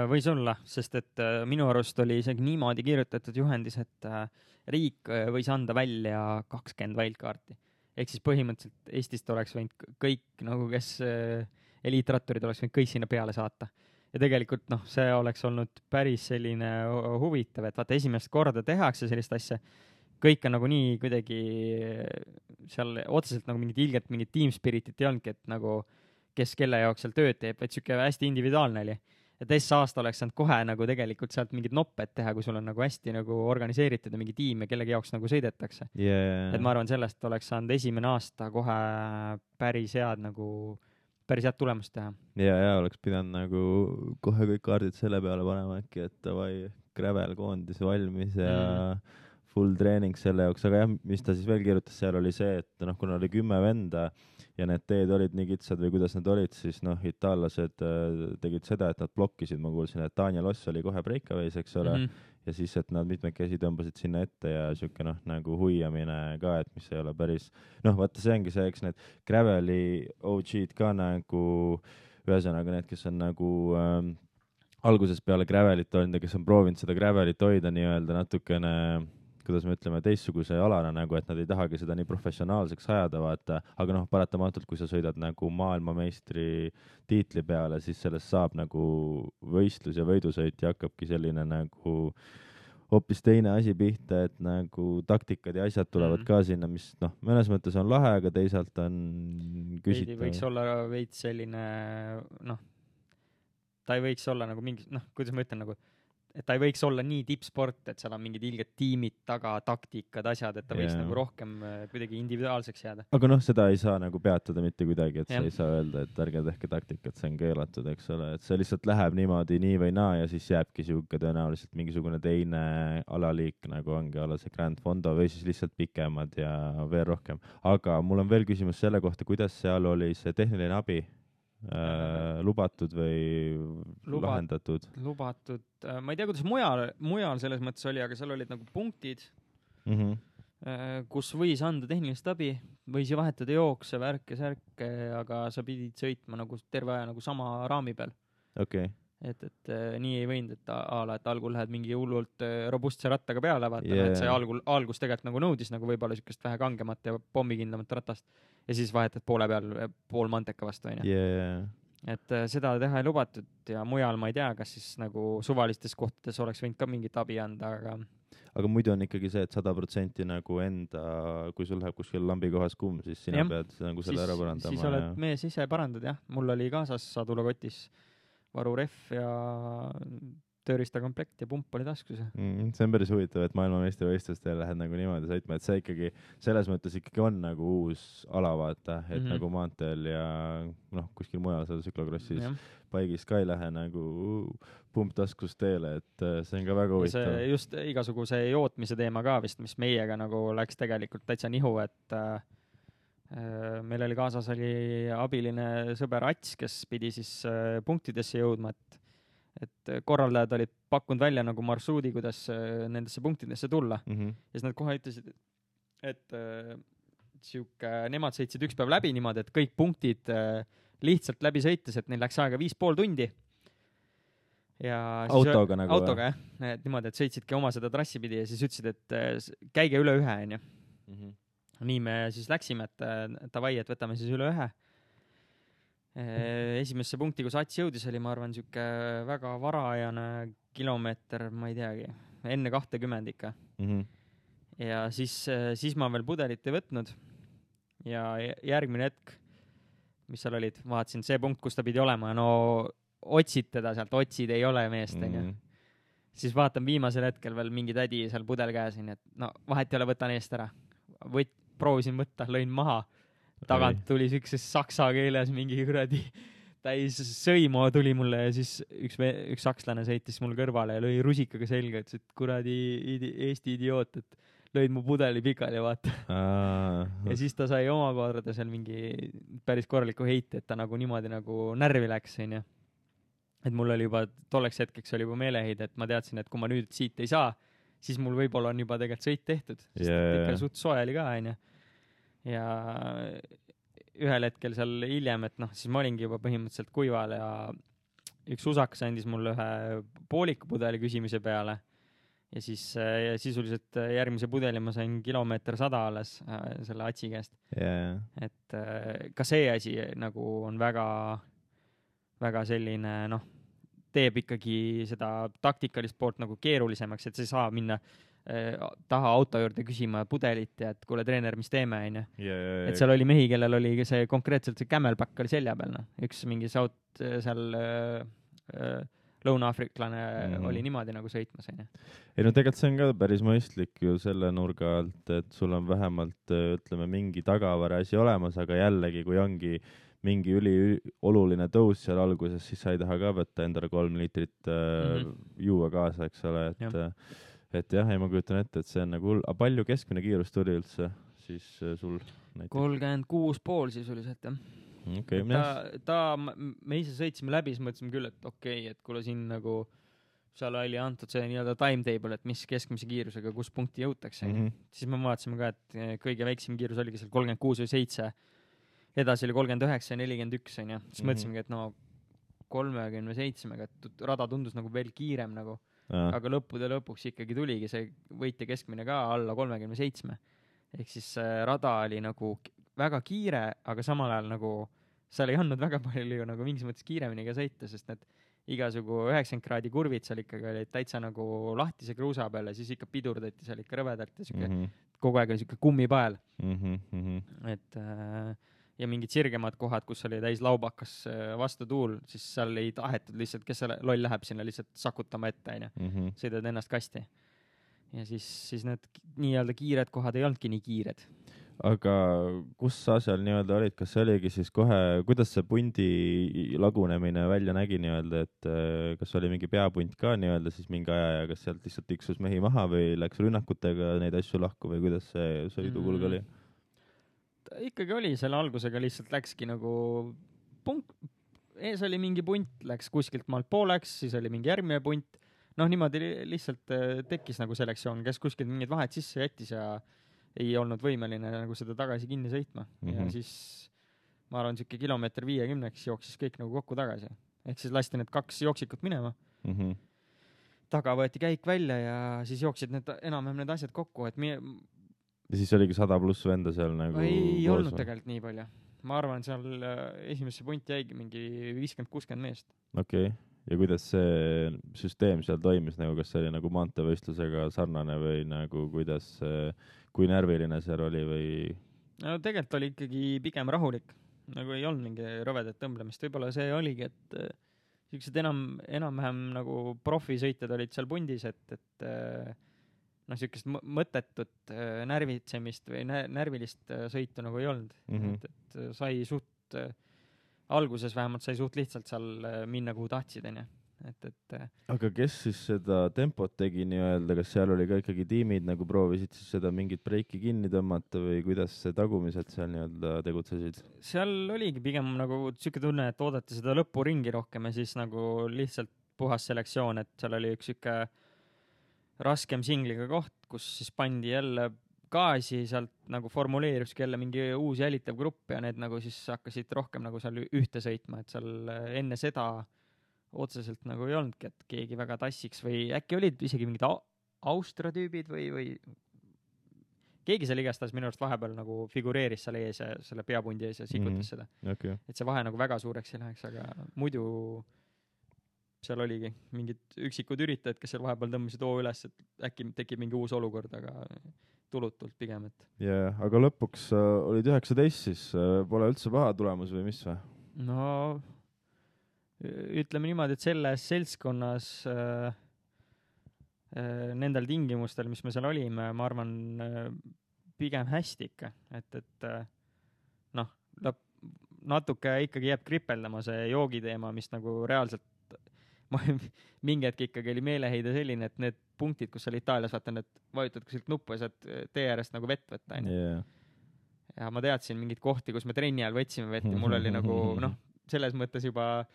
Võis olla, sest et äh, minu arust oli isegi niimoodi kirjutatud juhendis, et äh, riik äh, võis anda välja kakskümmend wildcardi. Ehk siis põhimõtteliselt Eestist oleks võinud kõik, nagu kes äh, eliitratturid oleks võinud kõik sinna peale saata. Ja tegelikult noh, see oleks olnud päris selline huvitav, et vaata esimest korda tehakse sellist asja, kõik on nagu nii kuidagi seal otseselt nagu mingit ilget, mingit team spiritit ei olnudki, et nagu kes kelle jaoks seal tööd teeb, et siuke hästi individuaalne oli. Ja teist aasta oleks saanud kohe nagu tegelikult sealt mingid nopped teha, kui sul on nagu hästi nagu organiseeritud ja mingi tiim ja kellegi jaoks nagu sõidetakse. Yeah. Et ma arvan, sellest oleks saanud esimene aasta kohe päris head nagu päris head tulemust teha. Ja, ja oleks pidanud nagu kohe kõik kaardid selle peale panema äkki, et davai, gravel koondis valmis ja mm. full treening selle jaoks, aga jah, mis ta siis veel kirjutas, seal oli see, et noh, kuna oli kümme venda ja need teed olid nii kitsad või kuidas nad olid, siis noh, itaallased äh, tegid seda, et nad blokkisid, ma kuulsin, et Daniel Oss oli kohe breakaways, eks ole, mm -hmm. ja siis, et nad mitmekesi tõmbasid sinna ette ja siuke noh, nagu huiamine ka, et mis ei ole päris, noh, vaata see ongi see, eks need graveli O G-d ka nagu, ühesõnaga need, kes on nagu ähm, algusest peale gravelit olnud ja kes on proovinud seda gravelit hoida nii-öelda natukene, kuidas me ütleme, teistsuguse alana nagu, et nad ei tahagi seda nii professionaalseks ajada, vaata, aga noh, paratamatult, kui sa sõidad nagu maailmameistri tiitli peale, siis sellest saab nagu võistlus ja võidusõit ja hakkabki selline nagu hoopis teine asi pihta, et nagu taktikad ja asjad tulevad mm. ka sinna, mis noh, mõnes mõttes on lahe, aga teisalt on küsitav. Võiks olla veits selline, noh, ta ei võiks olla nagu mingi, noh, kuidas ma ütlen, nagu et ta ei võiks olla nii tippsport, et seal on mingid ilged tiimid taga, taktikad, asjad, et ta võiks yeah. nagu rohkem kuidagi individuaalseks jääda. Aga noh, seda ei saa nagu peatada mitte kuidagi, et yeah. sa ei saa öelda, et ärge tehke taktikat, see on keelatud, eks ole, et see lihtsalt läheb niimoodi nii või naa ja siis jääbki siuke tõenäoliselt mingisugune teine alaliik, nagu ongi ala see Grand Fondo või siis lihtsalt pikemad ja veel rohkem. Aga mul on veel küsimus selle kohta, kuidas seal oli see tehniline abi? Äh, lubatud või Lubat, lahendatud? Lubatud. Ma ei tea, kuidas mujal, mujal selles mõttes oli, aga seal olid nagu punktid, mm-hmm. kus võis anda tehnilist abi, võis ju vahetada jookse, värke, särke, aga sa pidid sõitma nagu terve aja nagu sama raami peal. Okay. Et, et nii ei võinud, et ala, et algul lähed mingi hullult robustse rattaga peale, vaata, yeah. et see algul, algus tegelikult nagu nõudis nagu võib-olla sükest vähe kangemat ja pommikindlamat ratast ja siis vahetad poole peal pool manteka vastu, on ju. Yeah. Et seda teha ei lubatud ja mujal ma ei tea, kas siis nagu suvalistes kohtades oleks võinud ka mingit abi anda, aga aga muidu on ikkagi see, et sada protsenti nagu enda, kui sul läheb kuskil lambi kohas kuum, siis sina ja. pead nagu selle siis, ära parandama. Siis oled ja... mees ise parandad, jah. Mul oli kaasas sadulakotis varuref ja tööriistakomplekt ja pump oli taskus. Mm, see on päris huvitav, et maailmameistrivõistlustel lähed nagu niimoodi sõitma, et see ikkagi selles mõttes ikkagi on nagu uus ala, vaata, et mm-hmm. nagu maanteel ja noh, kuskil mujal seal tsüklokrossis paigis ka ei lähe nagu pump taskus teele, et see on ka väga huvitav. See just igasuguse jootmise teema ka vist, mis meiega nagu läks tegelikult täitsa nihu, et äh, meil oli kaasas oli abiline sõber Ats, kes pidi siis äh, punktidesse jõudma, et et korraldajad olid pakkunud välja nagu marsruudi, kuidas nendesse punktidesse tulla. Mm-hmm. Ja siis nad kohe ütlesid, et äh, siuke, nemad sõitsid üks päev läbi niimoodi, et kõik punktid äh, lihtsalt läbi sõites, et neil läks aega viis pool tundi. Ja autoga siis, nagu? Autoga, jah. Et niimoodi, et sõitsidki oma seda trassi pidi ja siis ütlesid, et äh, käige üle ühe, on ju. Mm-hmm. Nii me siis läksime, et äh, tavai, et võtame siis üle ühe. Esimesse punkti, kus Ats jõudis, oli, ma arvan, siuke väga varajane kilomeeter, ma ei teagi, enne kahtekümmend ikka. Mm-hmm. Ja siis, siis ma veel pudelit ei võtnud. Ja järgmine hetk, mis seal olid, vaatasin see punkt, kus ta pidi olema, no otsid teda sealt, otsid ei ole meest, mm-hmm. Siis vaatan viimasel hetkel veel mingi tädi seal pudel käesin, et no vahet ei ole, võtan eest ära. Võt, proovisin võtta, lõin maha. Tagant tuli sükses saksa keeles mingi kuradi täis sõimo tuli mulle ja siis üks, üks sakslane sõitis mul kõrvale ja lõi rusikaga selga, ütles, et kuradi idi, Eesti idioot, et lõid mu pudeli pikali, vaata. Ja siis ta sai omakorda seal mingi päris korraliku heite, et ta nagu niimoodi nagu närvi läks, on ju. Et mul oli juba, tolleks hetkeks oli juba meeleheid, et ma teadsin, et kui ma nüüd siit ei saa, siis mul võib-olla on juba tegelikult sõit tehtud, sest yeah. ikka suht soe oli ka, on ju. Ja ühel hetkel seal hiljem, et noh, siis ma olingi juba põhimõtteliselt kuival ja üks usakas andis mulle ühe pooliku pudeli küsimise peale ja siis ja sisuliselt järgmise pudeli ma sain kilomeeter sada alles äh, selle Atsi käest. Yeah. Et äh, ka see asi nagu on väga, väga selline, noh, teeb ikkagi seda taktikalist poolt nagu keerulisemaks, et sa ei saa minna taha auto juurde küsima pudelit ja et kuule treener, mis teeme, on ju. Yeah, yeah, et seal oli mehi, kellel oli see konkreetselt see Camelback oli selja peal, noh. Üks mingi saut seal äh, äh, lõuna-afriklane mm-hmm. oli niimoodi nagu sõitmas, on ju. Ei no tegelikult see on ka päris mõistlik ju selle nurga alt, et sul on vähemalt ütleme mingi tagavara asi olemas, aga jällegi, kui ongi mingi üli oluline tõus seal alguses, siis sa ei taha ka võtta endale kolm liitrit äh, mm-hmm. juua kaasa, eks ole, et ja. Et jah, ei ma kujutan ette, et see on nagu hull. A palju keskmine kiirus tuli üldse siis äh, sul? kolmkümmend kuus pool sisuliselt, jah. Okay, ta, ta, me ise sõitsime läbi, siis mõtlesime küll, et okei, okay, et kuule siin nagu seal oli antud see nii-öelda timetable, et mis keskmise kiirusega, kus punkti jõutakse. Mm-hmm. Siis me vaatasime ka, et kõige väiksem kiirus oligi seal kolmkümmend kuus või seitse. Edasi oli kolmkümmend üheksa ja nelikümmend üks, on ju. Siis mm-hmm. mõtlesimegi, et no kolmekümne seitsmega, et rada tundus nagu veel kiirem nagu. Ja. Aga lõppude lõpuks ikkagi tuligi see võitja keskmine ka alla kolmekümne seitsme. Ehk siis rada oli nagu väga kiire, aga samal ajal nagu seal ei andnud väga palju nagu mingis mõttes kiiremini ka sõita, sest need igasugu üheksakümmend kraadi kurvid seal ikkagi olid täitsa nagu lahtise kruusa peal ja siis ikka pidurdati seal ikka rõvedalt ja siuke mm -hmm. kogu aeg oli siuke kummipael mm. -hmm. et äh, ja mingid sirgemad kohad, kus oli täis laubakas vastutuul, siis seal ei tahetud lihtsalt, kes seal loll läheb sinna lihtsalt sakutama ette, onju. Sõidad ennast kasti. Ja siis, siis need nii-öelda kiired kohad ei olnudki nii kiired. Aga kus sa seal nii-öelda olid, kas see oligi siis kohe, kuidas see pundi lagunemine välja nägi nii-öelda, et kas oli mingi peapunt ka nii-öelda siis mingi aja ja kas sealt lihtsalt tiksus mehi maha või läks rünnakutega neid asju lahku või kuidas see sõidukulg oli? Ikkagi oli, selle algusega lihtsalt läkski nagu punkt, ees oli mingi punt, läks kuskilt maalt pooleks, siis oli mingi järgmine punt. Noh, niimoodi lihtsalt tekkis nagu selektsioon, kes kuskilt mingid vahed sisse jättis ja ei olnud võimeline nagu seda tagasi kinni sõitma. Mm -hmm. Ja siis ma arvan, siuke kilomeeter viiekümneks jooksis kõik nagu kokku tagasi. Ehk siis lasti need kaks jooksikut minema. Mm -hmm. Taga võeti käik välja ja siis jooksid need enam-vähem need asjad kokku, et mi- ja siis oligi sada pluss venda seal nagu ei koos, olnud või? Tegelikult nii palju. Ma arvan, seal esimesse punti jäigi mingi viiskümmend kuuskümmend meest. Okei. Okay. Ja kuidas see süsteem seal toimis, nagu kas see oli nagu maanteevõistlusega sarnane või nagu kuidas, kui närviline seal oli või? No tegelikult oli ikkagi pigem rahulik. Nagu ei olnud mingi rõvedat tõmblemist. Võib-olla see oligi, et siuksed enam, enam-vähem nagu profisõitjad olid seal pundis, et, et noh, siukest mõttetut närvitsemist või närvilist sõitu nagu ei olnud. Mm -hmm. et, et sai suht, alguses vähemalt sai suht lihtsalt seal minna, kuhu tahtsid, onju. Et, et aga kes siis seda tempot tegi nii-öelda, kas seal oli ka ikkagi tiimid nagu proovisid siis seda mingit breiki kinni tõmmata või kuidas see tagumised seal nii-öelda tegutsesid? Seal oligi pigem nagu siuke tunne, et oodati seda lõpuringi rohkem ja siis nagu lihtsalt puhas selektsioon, et seal oli üks siuke raskem singliga koht, kus siis pandi jälle gaasi, sealt nagu formuleeruski jälle mingi uus jälitav grupp ja need nagu siis hakkasid rohkem nagu seal ühte sõitma, et seal enne seda otseselt nagu ei olnudki, et keegi väga tassiks või äkki olid isegi mingid Austria tüübid või, või keegi seal igastahes minu arust vahepeal nagu figureeris seal ees ja selle peapundi ees ja sikutas mm -hmm. seda. Okay. Et see vahe nagu väga suureks ei läheks, aga muidu seal oligi mingid üksikud üritajad, kes seal vahepeal tõmbasid oo üles, et äkki tekib mingi uus olukord, aga tulutult pigem, et. jaa, aga lõpuks äh, olid üheksateist, siis äh, pole üldse paha tulemus või mis või? No ütleme niimoodi, et selles seltskonnas äh, äh, nendel tingimustel, mis me seal olime, ma arvan äh, pigem hästi ikka, et, et äh, noh, natuke ikkagi jääb kripeldama see joogiteema, mis nagu reaalselt ma mingi hetk ikkagi oli meeleheide selline, et need punktid, kus seal Itaalias vaata, need vajutad kuskilt nuppu ja saad tee äärest nagu vett võtta, onju. Yeah. Ja ma teadsin mingid kohti, kus me trenni ajal võtsime vett ja mul oli nagu noh, selles mõttes juba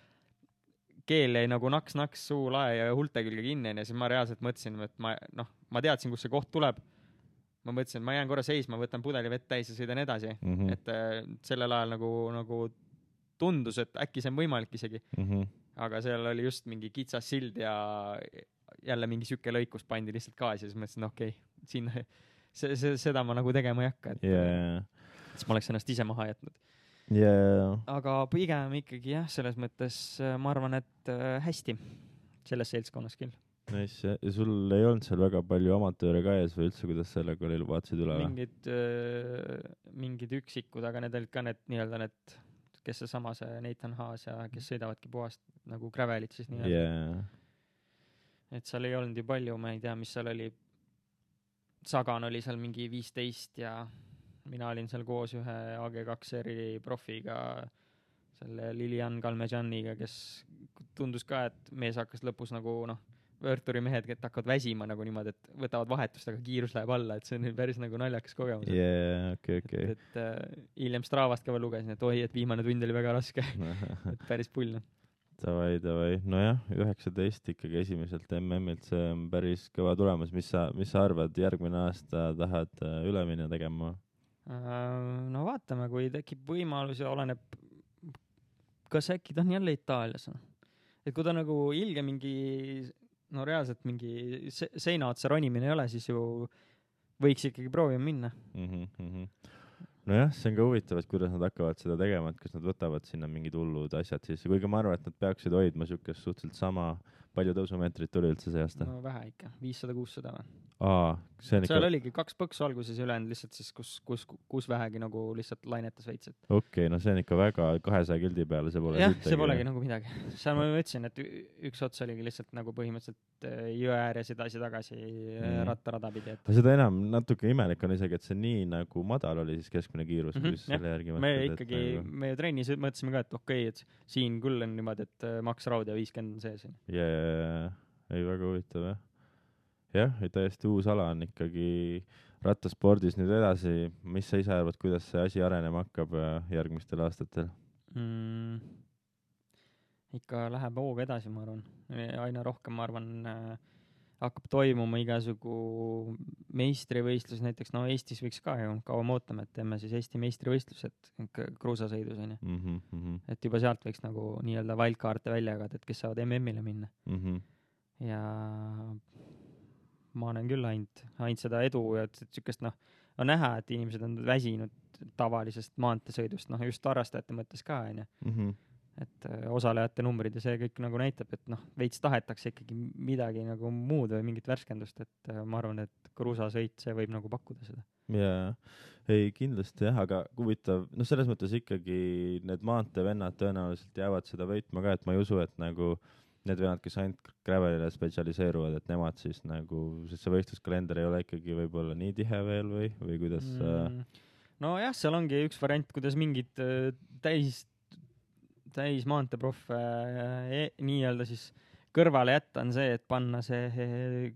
keel jäi nagu naks-naks suu lae ja hulte külge kinni ja siis ma reaalselt mõtlesin, et ma noh, ma teadsin, kus see koht tuleb. Ma mõtlesin, et ma jään korra seisma, võtan pudeli vett täis ja sõidan edasi. Mm -hmm. Et äh, sellel ajal nagu, nagu tundus, et äkki see on võimalik isegi. Mm -hmm. Aga seal oli just mingi kitsas sild ja jälle mingi süke lõikus pandi lihtsalt gaasi ja siis mõtlesin, okei, okay, siin see, see, seda ma nagu tegema ei hakka, et yeah. siis ma oleks ennast ise maha jätnud. Yeah. Aga pigem ikkagi jah, selles mõttes ma arvan, et hästi selles seltskonnas küll. Nice, ja sul ei olnud seal väga palju amatööre ka ees või üldse, kuidas sellega oli, vaatasid üle? Mingid, mingid üksikud, aga need olid ka need nii-öelda need, kes see sama see Nathan Haas ja kes sõidavadki puhast nagu gravelit siis nii-öelda. Yeah. Et seal ei olnud ju palju, ma ei tea, mis seal oli. Sagan oli seal mingi viisteist ja mina olin seal koos ühe A G kaks eri profiga, selle Lilian Kalmejaniga, kes tundus ka, et mees hakkas lõpus nagu noh, võõrturi mehed, et hakkavad väsima nagu niimoodi, et võtavad vahetust, aga kiirus läheb alla, et see on päris nagu naljakas kogemus. Yeah, okei, okei. Et, et uh, hiljem Stravast ka veel lugesin, et oi, et viimane tund oli väga raske. Et päris pull. Davai, davai. Nojah, üheksateist ikkagi esimeselt M M-ilt, see on päris kõva tulemus. Mis sa, mis sa arvad, järgmine aasta tahad üle minna tegema? Uh, no vaatame, kui tekib võimalus ja oleneb, kas äkki ta on jälle Itaalias. Et kui ta nagu ilge mingi no reaalselt mingi se seina otsa ronimine ei ole, siis ju võiks ikkagi proovima minna. Mm -hmm. nojah, see on ka huvitav, et kuidas nad hakkavad seda tegema, et kas nad võtavad sinna mingid hullud asjad sisse, kuigi ma arvan, et nad peaksid hoidma siukest suhteliselt sama, palju tõusumeetrit tuli üldse see aasta? No vähe ikka, viissada kuussada või? Aa, see on ikka... Seal oligi kaks põksu alguses ja ülejäänud lihtsalt siis, kus, kus, kus vähegi nagu lihtsalt lainetas veits. Et... Okei, okay, no see on ikka väga kahesaja kildi peale, see pole jah, see polegi nagu midagi. Seal ma ütlesin, et üks ots oligi lihtsalt nagu põhimõtteliselt jõe ääres edasi-tagasi mm. rattarada pidi. Et... seda enam natuke imelik on isegi, et see nii nagu madal oli siis keskmine kiirus, mm-hmm, kui selle järgi me mõtled, ikkagi, nagu... me trennis mõtlesime ka, et okei, okay, et siin küll on niimoodi, et maks raud ja viiskümmend on sees. jaa, ei väga huvitav, jah. jah, täiesti uus ala on ikkagi rattaspordis nüüd edasi. Mis sa ise arvad, kuidas see asi arenema hakkab järgmistel aastatel? Mm, ikka läheb hooga edasi, ma arvan. Aina rohkem, ma arvan, hakkab toimuma igasugu meistrivõistlus. Näiteks, no Eestis võiks ka ju kaua ootama, et teeme siis Eesti meistrivõistlused kruusasõidus. Mm -hmm. Et juba sealt võiks nagu nii-öelda wildcard'e välja jagada, et kes saavad M M-ile minna. Mm -hmm. Ja ma olen küll ainult, ainult seda edu ja et sükest, noh, on näha, et inimesed on väsinud tavalisest maanteesõidust, noh, just harrastajate mõttes ka, on ju. Et osalejate numbrid ja see kõik nagu näitab, et noh, veits tahetakse ikkagi midagi nagu muud või mingit värskendust, et ma arvan, et kruusasõit, see võib nagu pakkuda seda. Jaa, ei kindlasti jah, aga huvitav, noh, selles mõttes ikkagi need maanteevennad tõenäoliselt jäävad seda võitma ka, et ma ei usu, et nagu need vennad, kes ainult gravelile spetsialiseeruvad, et nemad siis nagu, sest see võistluskalender ei ole ikkagi võib-olla nii tihe veel või, või kuidas mm.? No jah, seal ongi üks variant, kuidas mingid täis, täis maanteeproff e, nii-öelda siis kõrvale jätta on see, et panna see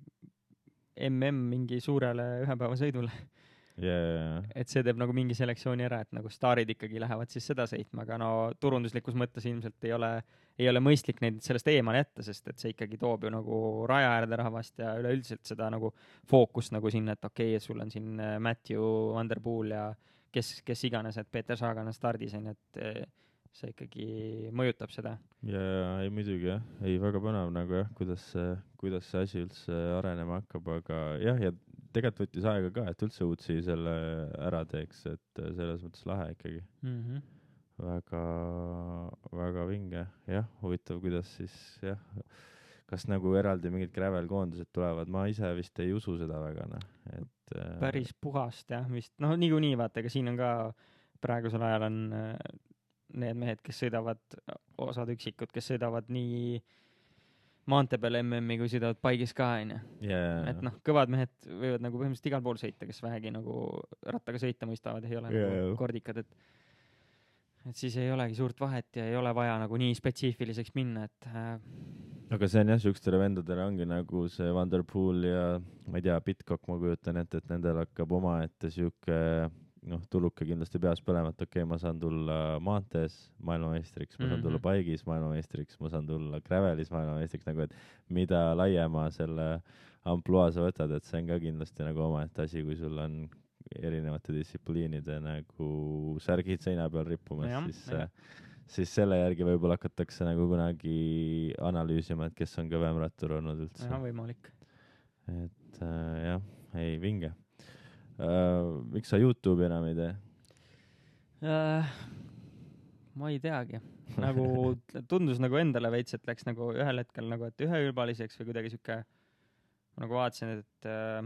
M M mingi suurele ühepäevasõidule. Yeah. Et see teeb nagu mingi selektsiooni ära, et nagu staarid ikkagi lähevad siis seda sõitma, aga no turunduslikus mõttes ilmselt ei ole, ei ole mõistlik neid sellest eemale jätta, sest et see ikkagi toob ju nagu raja äärde rahvast ja üleüldiselt seda nagu fookust nagu sinna, et okei, okay, sul on siin Matthew Van Der Poel ja kes, kes iganes, et Peeter Sagan on stardis, et see ikkagi mõjutab seda. Ja ei muidugi jah, ei väga põnev nagu jah, kuidas, kuidas see asi üldse arenema hakkab, aga jah, ja tegelikult võttis aega ka, et üldse uudsi selle ära teeks, et selles mõttes lahe ikkagi. Mm -hmm. Väga, väga vinge. Jah, huvitav, kuidas siis, jah, kas nagu eraldi mingid gravel-koondused tulevad. Ma ise vist ei usu seda väga, noh. Et, päris puhast, jah, vist. No niikuinii, vaata, aga siin on ka praegusel ajal on need mehed, kes sõidavad, osad üksikud, kes sõidavad nii maantee peal M M-i, kui sõidavad paigis ka, on ju. Yeah. Et noh, kõvad mehed võivad nagu põhimõtteliselt igal pool sõita, kes vähegi nagu rattaga sõita mõistavad, ei ole yeah. nagu kordikad, et et siis ei olegi suurt vahet ja ei ole vaja nagu nii spetsiifiliseks minna, et äh... aga see on jah, sükstele vendadele ongi nagu see Van Der Poel ja ma ei tea, Pitcock, ma kujutan ette, et nendel hakkab oma ette süke noh, tuluke kindlasti peas põlema, et okei okay,, ma saan tulla maantees maailmameistriks, ma saan tulla paigis maailmameistriks, ma saan tulla gravelis maailmameistriks, nagu et mida laiema selle ampluaa sa võtad, et see on ka kindlasti nagu oma et asi, kui sul on erinevate distsipliinide nagu särgid seina peal rippumas, ja, siis, ja. siis selle järgi võib-olla hakatakse nagu kunagi analüüsima, et kes on kõvem rattur olnud üldse. Ja, võimalik. Et äh, jah, ei, vinge. Uh, miks sa YouTube'i enam ei tee? Uh, ma ei teagi. Nagu tundus nagu endale veits, et läks nagu ühel hetkel nagu, et üheülbaliseks või kuidagi siuke, ma nagu vaatasin, et uh,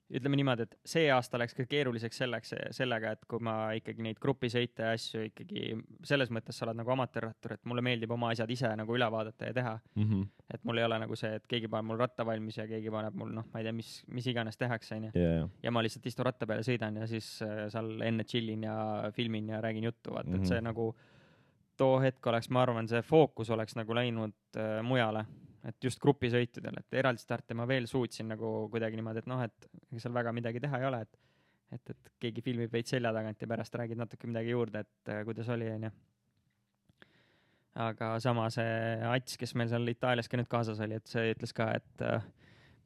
ütleme niimoodi, et see aasta läks ka keeruliseks selleks, sellega, et kui ma ikkagi neid grupisõite ja asju ikkagi selles mõttes sa oled nagu amatöörrattur, et mulle meeldib oma asjad ise nagu üle vaadata ja teha. Mm -hmm. Et mul ei ole nagu see, et keegi paneb mul ratta valmis ja keegi paneb mul, noh, ma ei tea, mis, mis iganes tehakse, on ju. Yeah. Ja ma lihtsalt istun ratta peale, sõidan ja siis äh, seal enne chillin ja filmin ja räägin juttu, vaata, mm -hmm. et see nagu too hetk oleks, ma arvan, see fookus oleks nagu läinud äh, mujale. Et just grupisõitudel, et eraldi starte ma veel suutsin nagu kuidagi niimoodi, et noh, et seal väga midagi teha ei ole, et, et, et keegi filmib veits selja tagant ja pärast räägid natuke midagi juurde, et äh, kuidas oli, on ju. Aga sama see Ats, kes meil seal Itaalias ka nüüd kaasas oli, et see ütles ka, et äh,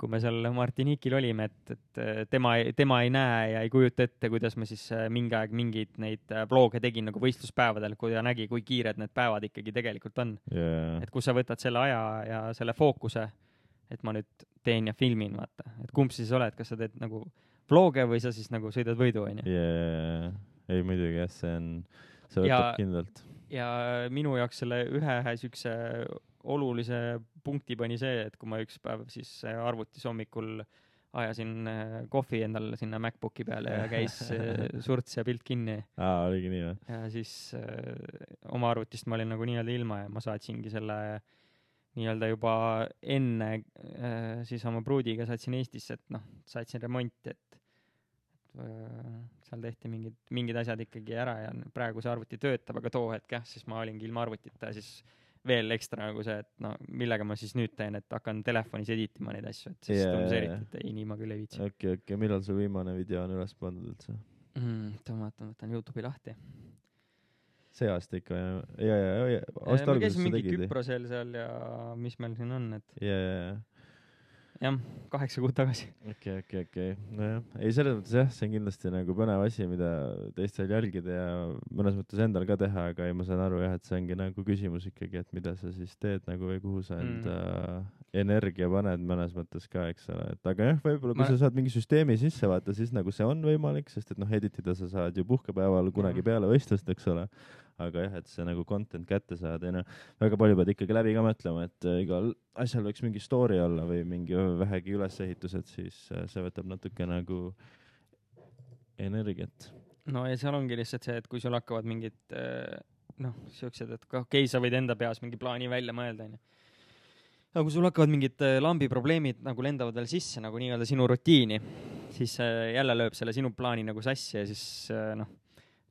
kui me seal Martiniquil olime, et, et tema, tema ei näe ja ei kujuta ette, kuidas ma siis mingi aeg mingeid neid vlooge tegin nagu võistluspäevadel, kui ta nägi, kui kiired need päevad ikkagi tegelikult on. Yeah. Et kus sa võtad selle aja ja selle fookuse, et ma nüüd teen ja filmin, vaata. Et kumb siis oled, kas sa teed nagu vlog'e või sa siis nagu sõidad võidu, onju. yeah.. ei muidugi jah, see on, see võtab ja, kindlalt. Ja minu jaoks selle ühe siukse olulise punkti pani see, et kui ma üks päev siis arvutis hommikul ajasin kohvi endal sinna MacBooki peale ja käis surts ja pilt kinni. Aa, oligi nii või? Ja siis äh, oma arvutist ma olin nagu nii-öelda ilma ja ma saatsingi selle nii-öelda juba enne äh, siis oma pruudiga saatsin Eestisse, et noh, saatsin remonti, et, et äh, seal tehti mingid, mingid asjad ikkagi ära ja praegu see arvuti töötab, aga too hetk jah, siis ma olingi ilma arvutita ja siis veel ekstra nagu see, et no millega ma siis nüüd teen, et hakkan telefonis editima neid asju, et siis yeah, tundus eriti, et ei, nii ma küll ei viitsi. Okei, okay, okei, okay. Millal su viimane video on üles pandud üldse? Mm, tõmatan, võtan YouTube'i lahti. See aasta ikka, ja, ja, ja, ja aasta me käisin mingi Küprosel seal ja mis meil siin on, et ja, ja, ja. jah, kaheksa kuud tagasi. okei, okei, okei. Nojah, ei selles mõttes jah, see on kindlasti nagu põnev asi, mida teistel jälgida ja mõnes mõttes endal ka teha, aga ei, ma saan aru jah, et see ongi nagu küsimus ikkagi, et mida sa siis teed nagu või kuhu sa enda mm. energia paned mõnes mõttes ka, eks ole. Et aga jah, võib-olla kui ma... sa saad mingi süsteemi sisse vaata, siis nagu see on võimalik, sest et noh, editida sa saad ju puhkepäeval kunagi mm. peale võistlust, eks ole. Aga jah, et see nagu content kätte saada ja noh, väga palju pead ikkagi läbi ka mõtlema, et igal asjal võiks mingi story olla või mingi vähegi ülesehitused, siis see võtab natuke nagu energiat. No ja seal ongi lihtsalt see, et kui sul hakkavad mingid noh, siuksed, et okei, okay, sa võid enda peas mingi plaani välja mõelda, onju. Aga kui sul hakkavad mingid lambi probleemid nagu lendavad veel sisse nagu nii-öelda sinu rutiini, siis jälle lööb selle sinu plaani nagu sassi ja siis noh,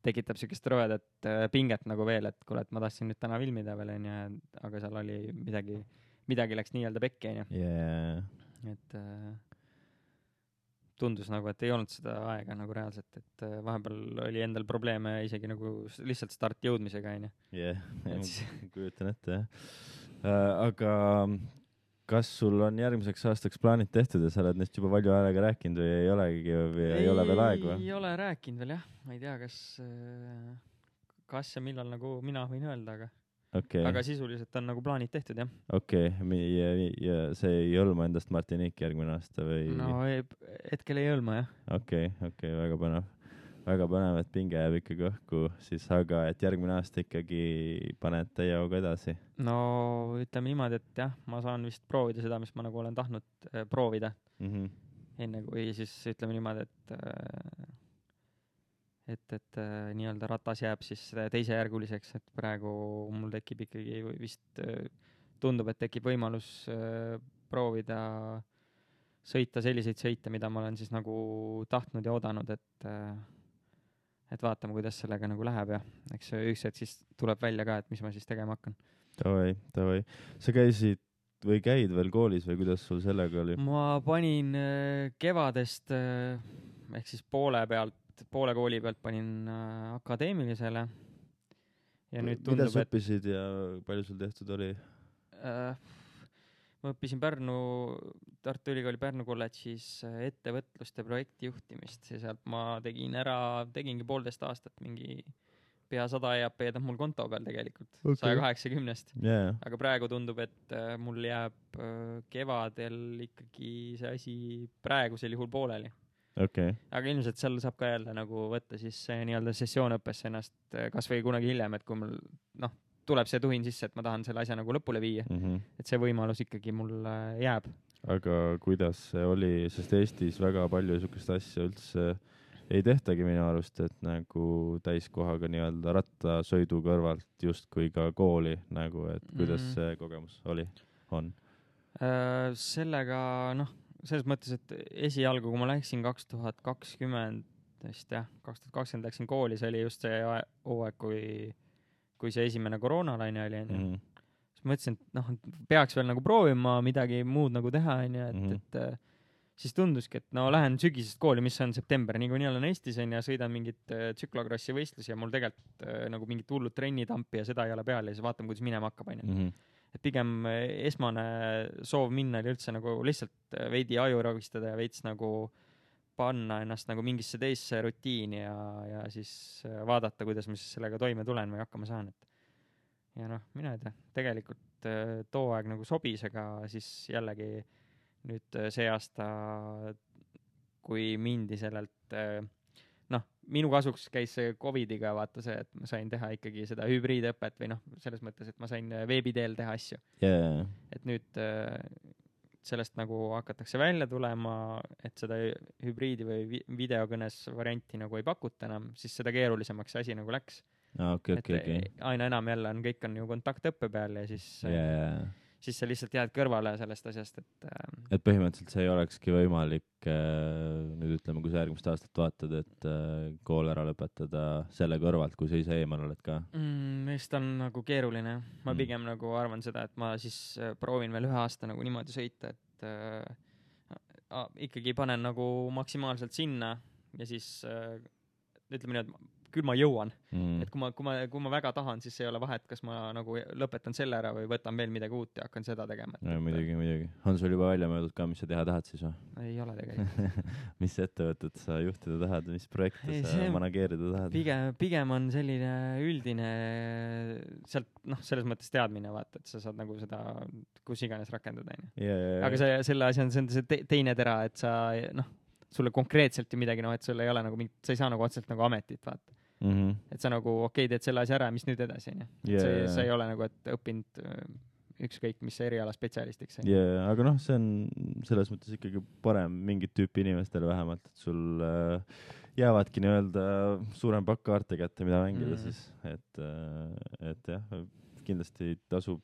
tekitab siukest rõvedat pinget nagu veel, et kuule, et ma tahtsin nüüd täna filmida veel, onju, aga seal oli midagi, midagi läks nii-öelda pekki, onju. Yeah. Et äh, tundus nagu, et ei olnud seda aega nagu reaalselt, et äh, vahepeal oli endal probleeme isegi nagu lihtsalt start jõudmisega, onju. jah, kujutan ette, jah. Uh, aga kas sul on järgmiseks aastaks plaanid tehtud ja sa oled neist juba palju aega rääkinud või ei olegi või ei, ei ole veel aeg või? Ei ole rääkinud veel jah, ma ei tea, kas, kas ja millal nagu mina võin öelda, aga, okay. aga sisuliselt on nagu plaanid tehtud jah. Okei, okay. ja, ja see ei hõlma endast Martinique järgmine aasta või? No ei, hetkel ei hõlma jah. Okei, okay, okei okay,, väga põnev. Väga põnev, et pinge jääb ikkagi õhku, siis aga et järgmine aasta ikkagi paned täie hooga edasi? No ütleme niimoodi, et jah, ma saan vist proovida seda, mis ma nagu olen tahtnud äh, proovida mm. -hmm. Enne kui siis ütleme niimoodi, et äh, et, et äh, nii-öelda ratas jääb siis teisejärguliseks, et praegu mul tekib ikkagi vist äh, tundub, et tekib võimalus äh, proovida sõita selliseid sõite, mida ma olen siis nagu tahtnud ja oodanud, et äh, et vaatame, kuidas sellega nagu läheb ja eks üks hetk siis tuleb välja ka, et mis ma siis tegema hakkan. Tavai, tavai. Sa käisid või käid veel koolis või kuidas sul sellega oli? Ma panin äh, kevadest äh, ehk siis poole pealt, poole kooli pealt panin äh, akadeemilisele ja nüüd tundub, mida sa õppisid ja palju sul tehtud oli? Äh, ma õppisin Pärnu, Tartu Ülikooli Pärnu kolledžis ettevõtlust ja projektijuhtimist ja sealt ma tegin ära, tegingi poolteist aastat mingi pea sada E A P-d on mul konto peal tegelikult, okay. saja kaheksakümnest. Yeah. Aga praegu tundub, et mul jääb kevadel ikkagi see asi praegusel juhul pooleli. Okay. Aga ilmselt seal saab ka jälle nagu võtta siis nii-öelda sessioonõppesse ennast kas või kunagi hiljem, et kui mul noh, tuleb see tuhin sisse, et ma tahan selle asja nagu lõpule viia. Mm -hmm. Et see võimalus ikkagi mul jääb. Aga kuidas see oli, sest Eestis väga palju niisugust asja üldse ei tehtagi minu arust, et nagu täiskohaga nii-öelda rattasõidu kõrvalt justkui ka kooli nagu, et kuidas mm. see kogemus oli, on? Äh, sellega, noh, selles mõttes, et esialgu, kui ma läksin kaks tuhat kakskümmend, vist jah, kaks tuhat kakskümmend läksin kooli, see oli just see hooaeg, kui kui see esimene koroonalaine oli, onju. Mm. Siis mõtlesin, et noh, peaks veel nagu proovima midagi muud nagu teha, onju, et, mm. et, et siis tunduski, et no lähen sügisest kooli, mis on september, nii kui nii olen Eestis on ja sõidan mingit tsüklokrossi võistlusi ja mul tegelikult nagu mingit hullud trennitampi ja seda ei ole peal ja siis vaatame, kuidas minema hakkab, onju. Mm. Et pigem esmane soov minna oli üldse nagu lihtsalt veidi aju ragistada ja veits nagu panna ennast nagu mingisse teisse rutiini ja, ja siis vaadata, kuidas ma siis sellega toime tulen või hakkama saan. Et ja noh, mina ei tea, tegelikult too aeg nagu sobis, aga siis jällegi nüüd see aasta, kui mindi sellelt äh, noh, minu kasuks käis see Covidiga vaata see, et ma sain teha ikkagi seda hübriidõpet või noh, selles mõttes, et ma sain veebi teel teha asju yeah.. et nüüd äh, sellest nagu hakatakse välja tulema, et seda hübriidi või vi- videokõnes varianti nagu ei pakuta enam, siis seda keerulisemaks see asi nagu läks. Ah, okay, et okay, okay. aina enam jälle on, kõik on ju kontaktõppe peal ja siis yeah. siis sa lihtsalt jääd kõrvale sellest asjast, et äh, et põhimõtteliselt see ei olekski võimalik äh, nüüd ütleme, kui sa järgmist aastat vaatad, et äh, kool ära lõpetada selle kõrvalt, kui sa ise eemal oled ka mm, vist on nagu keeruline. Ma mm. pigem nagu arvan seda, et ma siis äh, proovin veel ühe aasta nagu niimoodi sõita, et äh, ikkagi panen nagu maksimaalselt sinna ja siis äh, ütleme nii, et küll ma jõuan mm.. et kui ma, kui ma, kui ma väga tahan, siis ei ole vahet, kas ma nagu lõpetan selle ära või võtan veel midagi uut ja hakkan seda tegema. no muidugi, muidugi. On sul juba välja mõeldud ka, mis sa teha tahad siis või? Ei ole tegelikult. mis ettevõtet sa juhtida tahad, mis projekte ei, sa see, manageerida tahad? Pigem, pigem on selline üldine sealt, noh, selles mõttes teadmine, vaata, et sa saad nagu seda kus iganes rakendada. Yeah, aga see, selle asja on see, see te, teine tera, et sa, noh, sulle konkreetselt ju midagi, noh, et sul ei ole nagu mingit, sa ei saa nagu otseselt nagu ametit, vaata. Mm -hmm. et sa nagu okei okay, teed selle asja ära, mis nüüd edasi on ju. Yeah, see, yeah. see ei ole nagu, et õppinud ükskõik mis eriala spetsialistiks. Yeah, aga noh, see on selles mõttes ikkagi parem mingit tüüpi inimestele vähemalt, et sul äh, jäävadki nii-öelda suurem pakk kaarte kätte, mida mängida mm -hmm. siis, et, äh, et jah, kindlasti tasub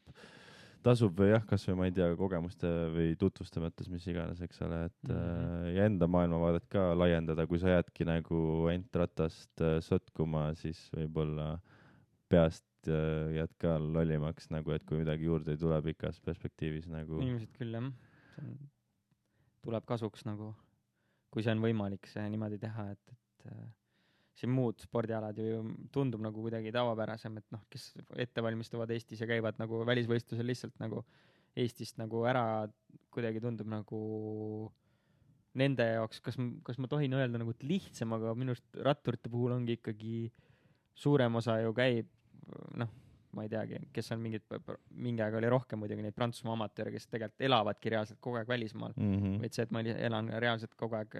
tasub või jah, kas või ma ei tea, kogemuste või tutvuste mõttes, mis iganes, eks ole, et mm -hmm. ja enda maailmavaadet ka laiendada, kui sa jäädki nagu ainult ratast sotkuma, siis võib-olla peast jääd ka lollimaks, nagu et kui midagi juurde ei tule pikas perspektiivis nagu. Ilmselt küll, jah. See on, tuleb kasuks nagu, kui see on võimalik see niimoodi teha, et, et siin muud spordialad ju tundub nagu kuidagi tavapärasem, et noh, kes ette valmistuvad Eestis ja käivad nagu välisvõistlusel lihtsalt nagu Eestist nagu ära, kuidagi tundub nagu nende jaoks, kas, kas ma tohin öelda nagu lihtsam, aga minu arust ratturite puhul ongi ikkagi suurem osa ju käib, noh, ma ei teagi, kes on mingid, mingi aeg oli rohkem muidugi neid Prantsusmaa amatööre, kes tegelikult elavadki reaalselt kogu aeg välismaal. Mm -hmm. Vaid see, et ma elan reaalselt kogu aeg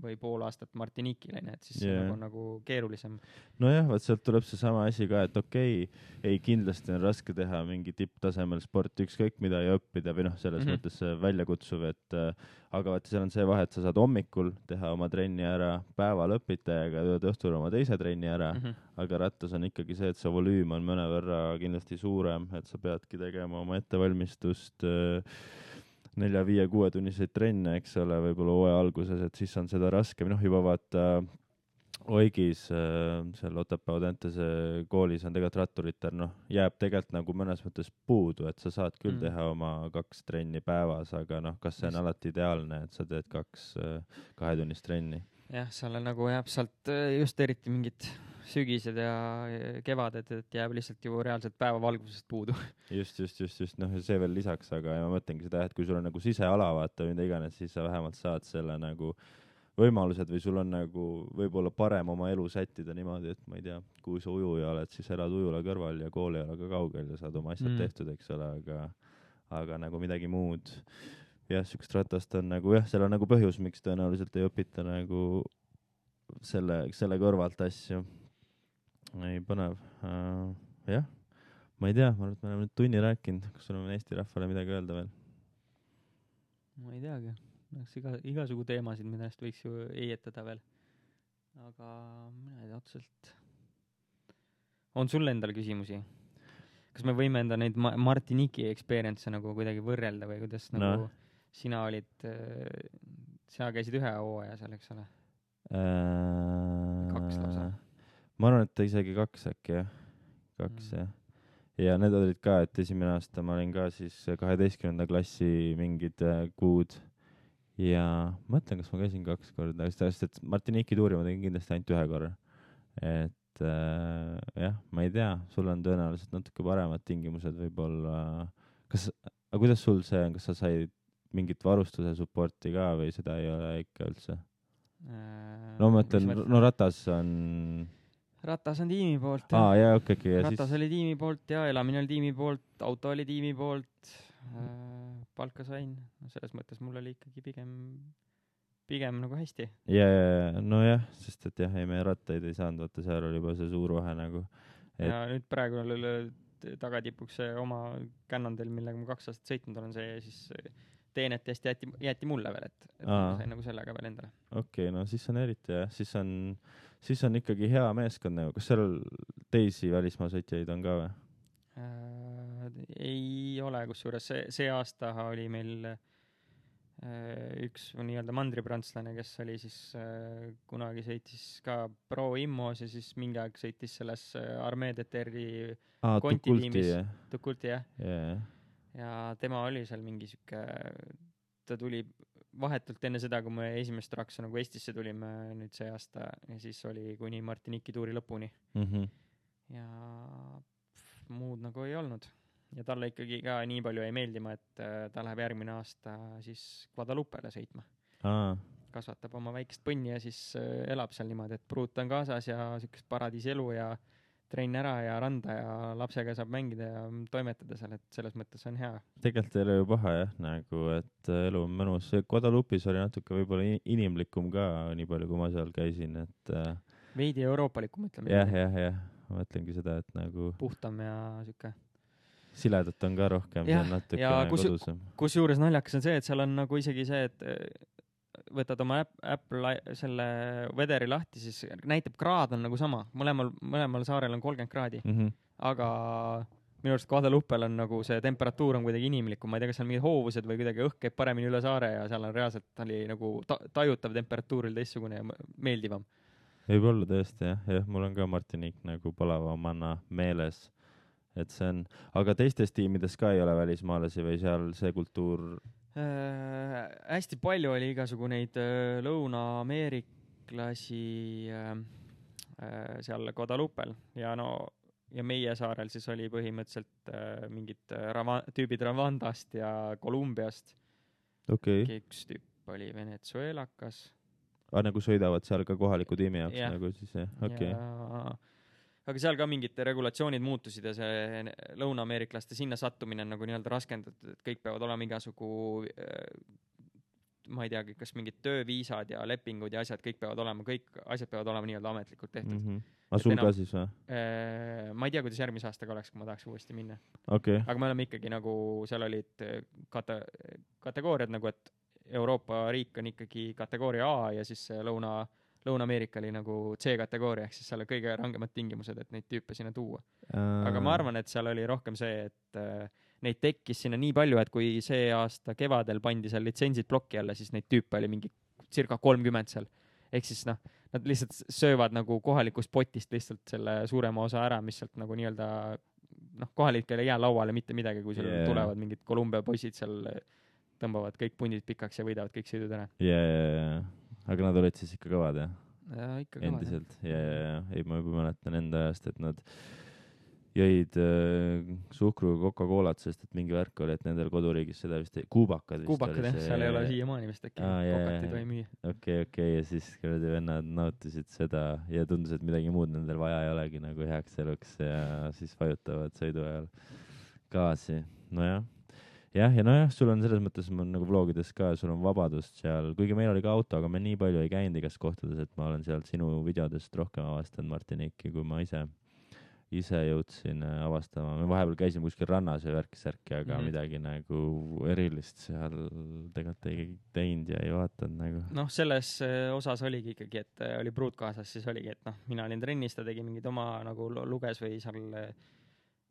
või pool aastat Martiniquil, et siis yeah. see on nagu, nagu keerulisem. Nojah, vaat sealt tuleb see sama asi ka, et okei, okay, ei kindlasti on raske teha mingi tipptasemel sporti, ükskõik mida ja õppida või noh, selles mm -hmm. mõttes väljakutsuv, et äh, aga vaata, seal on see vahe, et sa saad hommikul teha oma trenni ära, päeval õpita ja ka õhtul oma teise trenni ära, mm -hmm. aga rattas on ikkagi see, et see volüüm on mõnevõrra kindlasti suurem, et sa peadki tegema oma ettevalmistust äh, nelja, viie, kuue tunniseid trenne, eks ole, võib-olla hooaja alguses, et siis on seda raskem, noh juba vaata Oigis äh, seal Otepää Audentese koolis on tegelikult ratturitel, noh, jääb tegelikult nagu mõnes mõttes puudu, et sa saad küll mm. teha oma kaks trenni päevas, aga noh, kas see on alati ideaalne, et sa teed kaks äh, kahetunnist trenni? Jah, seal nagu jääb sealt just eriti mingid sügised ja kevaded, et jääb lihtsalt ju reaalselt päevavalgusest puudu. just, just, just, just, noh, see veel lisaks, aga ja ma mõtlengi seda, et kui sul on nagu siseala, vaata, mida iganes, siis sa vähemalt saad selle nagu võimalused või sul on nagu võib-olla parem oma elu sättida niimoodi, et ma ei tea, kui sa ujuja oled, siis elad ujula kõrval ja kool ei ole ka kaugel ja saad oma asjad mm. tehtud, eks ole, aga, aga nagu midagi muud. Jah, sükst ratast on nagu, jah, seal on nagu põhjus, miks tõenäoliselt ei õpita nagu selle, selle kõrvalt asju. Ei, põnev. Uh, jah, ma ei tea, ma arvan, et me oleme nüüd tunni rääkinud. Kas sul on Eesti rahvale midagi öelda veel? Ma ei teagi. Iga, igasugu teemasid, millest võiks ju eietada veel. Aga mina ei tea otseselt. On sul endal küsimusi? Kas me võime enda neid Ma- Martinique'i experience nagu kuidagi võrrelda või kuidas no. nagu sina olid, sina käisid ühe hooaja seal, eks ole? Uh, kaks lausa. Ma arvan, et isegi kaks äkki, jah. Kaks, mm. jah. Ja need olid ka, et esimene aasta ma olin ka siis kaheteistkümnenda klassi mingid kuud. Ja mõtlen, kas ma käisin kaks korda, sest et Martinique'i tuuri ma tegin kindlasti ainult ühe korra. Et äh, jah, ma ei tea, sul on tõenäoliselt natuke paremad tingimused võib-olla. Kas, aga kuidas sul see on, kas sa said mingit varustuse supporti ka või seda ei ole ikka üldse? Äh, no ma mõtlen, no ratas on... Ratas on tiimi poolt. Aa, jah, okei, okay, okay. Ratas siis... oli tiimi poolt ja elamine oli tiimi poolt, auto oli tiimi poolt, äh, palka sain. No selles mõttes mul oli ikkagi pigem pigem nagu hästi. ja, ja, nojah, sest et jah, ei me rattaid ei saanud, vaata seal oli juba see suur vahe nagu. Et... Ja nüüd praegu tagatipuks see oma Cannondale, millega ma kaks aastat sõitnud olen, see siis teenet hästi jäeti, jäeti mulle veel, et, et ma sain nagu sellega veel endale. Okei, okay, no siis on eriti jah, siis on, siis on ikkagi hea meeskond nagu. Kas seal teisi välismaa sõitjaid on ka või? Äh, ei ole, kusjuures see, see aasta oli meil üks nii-öelda mandriprantslane, kes oli siis äh, kunagi sõitis ka Pro Immos ja siis mingi aeg sõitis selles Armee D T R-i ah, konti tiimis. Tukulti, jah. Yeah. Ja tema oli seal mingi siuke, ta tuli vahetult enne seda, kui me esimest raksa nagu Eestisse tulime nüüd see aasta ja siis oli kuni Martiniki tuuri lõpuni. Mm-hmm. Ja pff, muud nagu ei olnud. Ja talle ikkagi ka nii palju ei meeldima, et ta läheb järgmine aasta siis Guadalupele sõitma. Aa. Kasvatab oma väikest põnni ja siis elab seal niimoodi, et pruut on kaasas ja sükest paradiisi elu ja trenn ära ja randa ja lapsega saab mängida ja toimetada seal, et selles mõttes on hea. Tegelikult ei ole ju paha jah, nagu, et elu on mõnus. Guadalupis oli natuke võib-olla inimlikum ka, nii palju kui ma seal käisin, et veidi euroopalikum, ütleme. Jah, jah, jah. Ma mõtlengi seda, et nagu puhtam ja süke siledat on ka rohkem, ja, see on natuke ja kus, kodusem. Kus juures naljakas on see, et seal on nagu isegi see, et võtad oma Apple selle vederi lahti, siis näitab kraad on nagu sama. Mõlemal, mõlemal saarel on kolmkümmend kraadi. Mm-hmm. Aga minu arust Guadalupel on nagu see temperatuur on kuidagi inimlikum. Ma ei tea, kas seal mingid hoovused või kuidagi õhk käib paremini üle saare ja seal on reaalselt oli nagu ta- tajutav temperatuuril teistsugune ja meeldivam. Võib olla tõesti, jah. jah. Mul on ka Martinique nagu palavamana meeles. Et see on, aga teistes tiimides ka ei ole välismaalasi või seal see kultuur? Äh, hästi palju oli igasugu neid äh, lõuna-ameeriklasi äh, äh, seal Guadalupel ja no ja meie saarel siis oli põhimõtteliselt äh, mingid rava, tüübid Rwandast ja Kolumbiast. Okay. Üks tüüp oli venezuelakas. Ah, nagu sõidavad seal ka kohaliku tiimi jaoks ja. Nagu siis, jah. Okay. Ja aga seal ka mingid regulatsioonid muutusid ja see lõuna-ameeriklaste sinna sattumine on nagu nii-öelda raskendatud, et kõik peavad olema igasugu, ma ei teagi, kas mingid tööviisad ja lepingud ja asjad, kõik peavad olema, kõik asjad peavad olema nii-öelda ametlikult tehtud. Mm-hmm. Aga sul enam, ka siis või? Äh, ma ei tea, kuidas järgmise aastaga oleks, kui ma tahaks uuesti minna. Okay. Aga me oleme ikkagi nagu, seal olid kate, kategooriad nagu, et Euroopa riik on ikkagi kategooria A ja siis lõuna Lõuna-Ameerika oli nagu C-kategooria, ehk siis seal on kõige rangemad tingimused, et neid tüüpe sinna tuua. Uh... Aga ma arvan, et seal oli rohkem see, et äh, neid tekkis sinna nii palju, et kui see aasta kevadel pandi seal litsentsid plokki alla, siis neid tüüpe oli mingi circa kolmkümmend seal. Ehk siis noh, nad lihtsalt söövad nagu kohalikust potist lihtsalt selle suurema osa ära, mis sealt nagu nii-öelda noh, kohalikel ei jää lauale mitte midagi, kui seal yeah. tulevad mingid Kolumbia poisid seal, tõmbavad kõik pundid pikaks ja võidavad kõik sõidud ära. Jaa, jaa, jaa. Aga nad olid siis ikka kõvad, jah? Ja, ikka kõvad, endiselt, ja, ja, ja. Ei, ma juba mäletan enda ajast, et nad jõid äh, suhkruga Coca-Colat, sest et mingi värk oli, et nendel koduriigis seda vist ei... Kuubakad vist Kuubakad, jah, see... seal ei ole siiamaani vist äkki. Ah, Kokat ei tohi müüa. Okei, okei, ja siis kuradi vennad nautisid seda ja tundus, et midagi muud nendel vaja ei olegi nagu heaks eluks ja siis vajutavad sõidu ajal gaasi. Nojah. Jah, ja nojah, sul on selles mõttes on nagu vlogides ka, sul on vabadust seal, kuigi meil oli ka auto, aga me nii palju ei käinud igas kohtades, et ma olen sealt sinu videodest rohkem avastanud Martiniiki, kui ma ise, ise jõudsin avastama. Me vahepeal käisime kuskil rannas ja värkisärki, aga mm-hmm. midagi nagu erilist seal tegelikult ei teinud ja ei vaatanud nagu. Noh, selles osas oligi ikkagi, et oli pruut kaasas, siis oligi, et noh, mina olin trennis, ta tegi mingid oma nagu luges või seal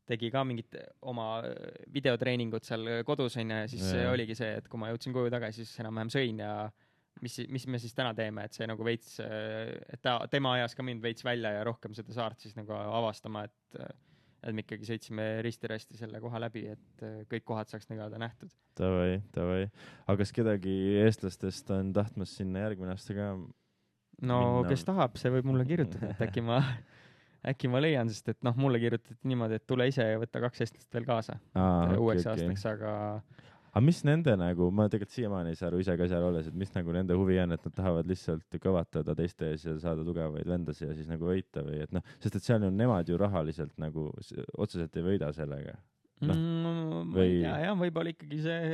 tegi ka mingit oma videotreeningut seal kodus on ja siis ja. Oligi see, et kui ma jõudsin koju tagasi, siis enam-vähem sõin ja mis, mis me siis täna teeme, et see nagu veits, et ta, tema ajas ka mind veits välja ja rohkem seda saart siis nagu avastama, et, et me ikkagi sõitsime risti-rasti selle koha läbi, et kõik kohad saaks nagu nähtud. Tavai, tavai. Aga kas kedagi eestlastest on tahtmas sinna järgmine aasta ka no minna? Kes tahab, see võib mulle kirjutada, et äkki ma äkki ma leian, sest et noh, mulle kirjutati niimoodi, et tule ise ja võtta kaks eestlast veel kaasa Aa, uueks okay, aastaks, okay. aga... Aga mis nende nagu, ma tegelikult siiamaani ei saa aru ise ka seal olles, et mis nagu nende huvi on, et nad tahavad lihtsalt kõvatada teiste ees ja saada tugevaid vendasi ja siis nagu võita või et noh, sest et seal on nemad ju rahaliselt nagu otseselt ei võida sellega. No, mm, või... Ja, jah, võib-olla ikkagi see...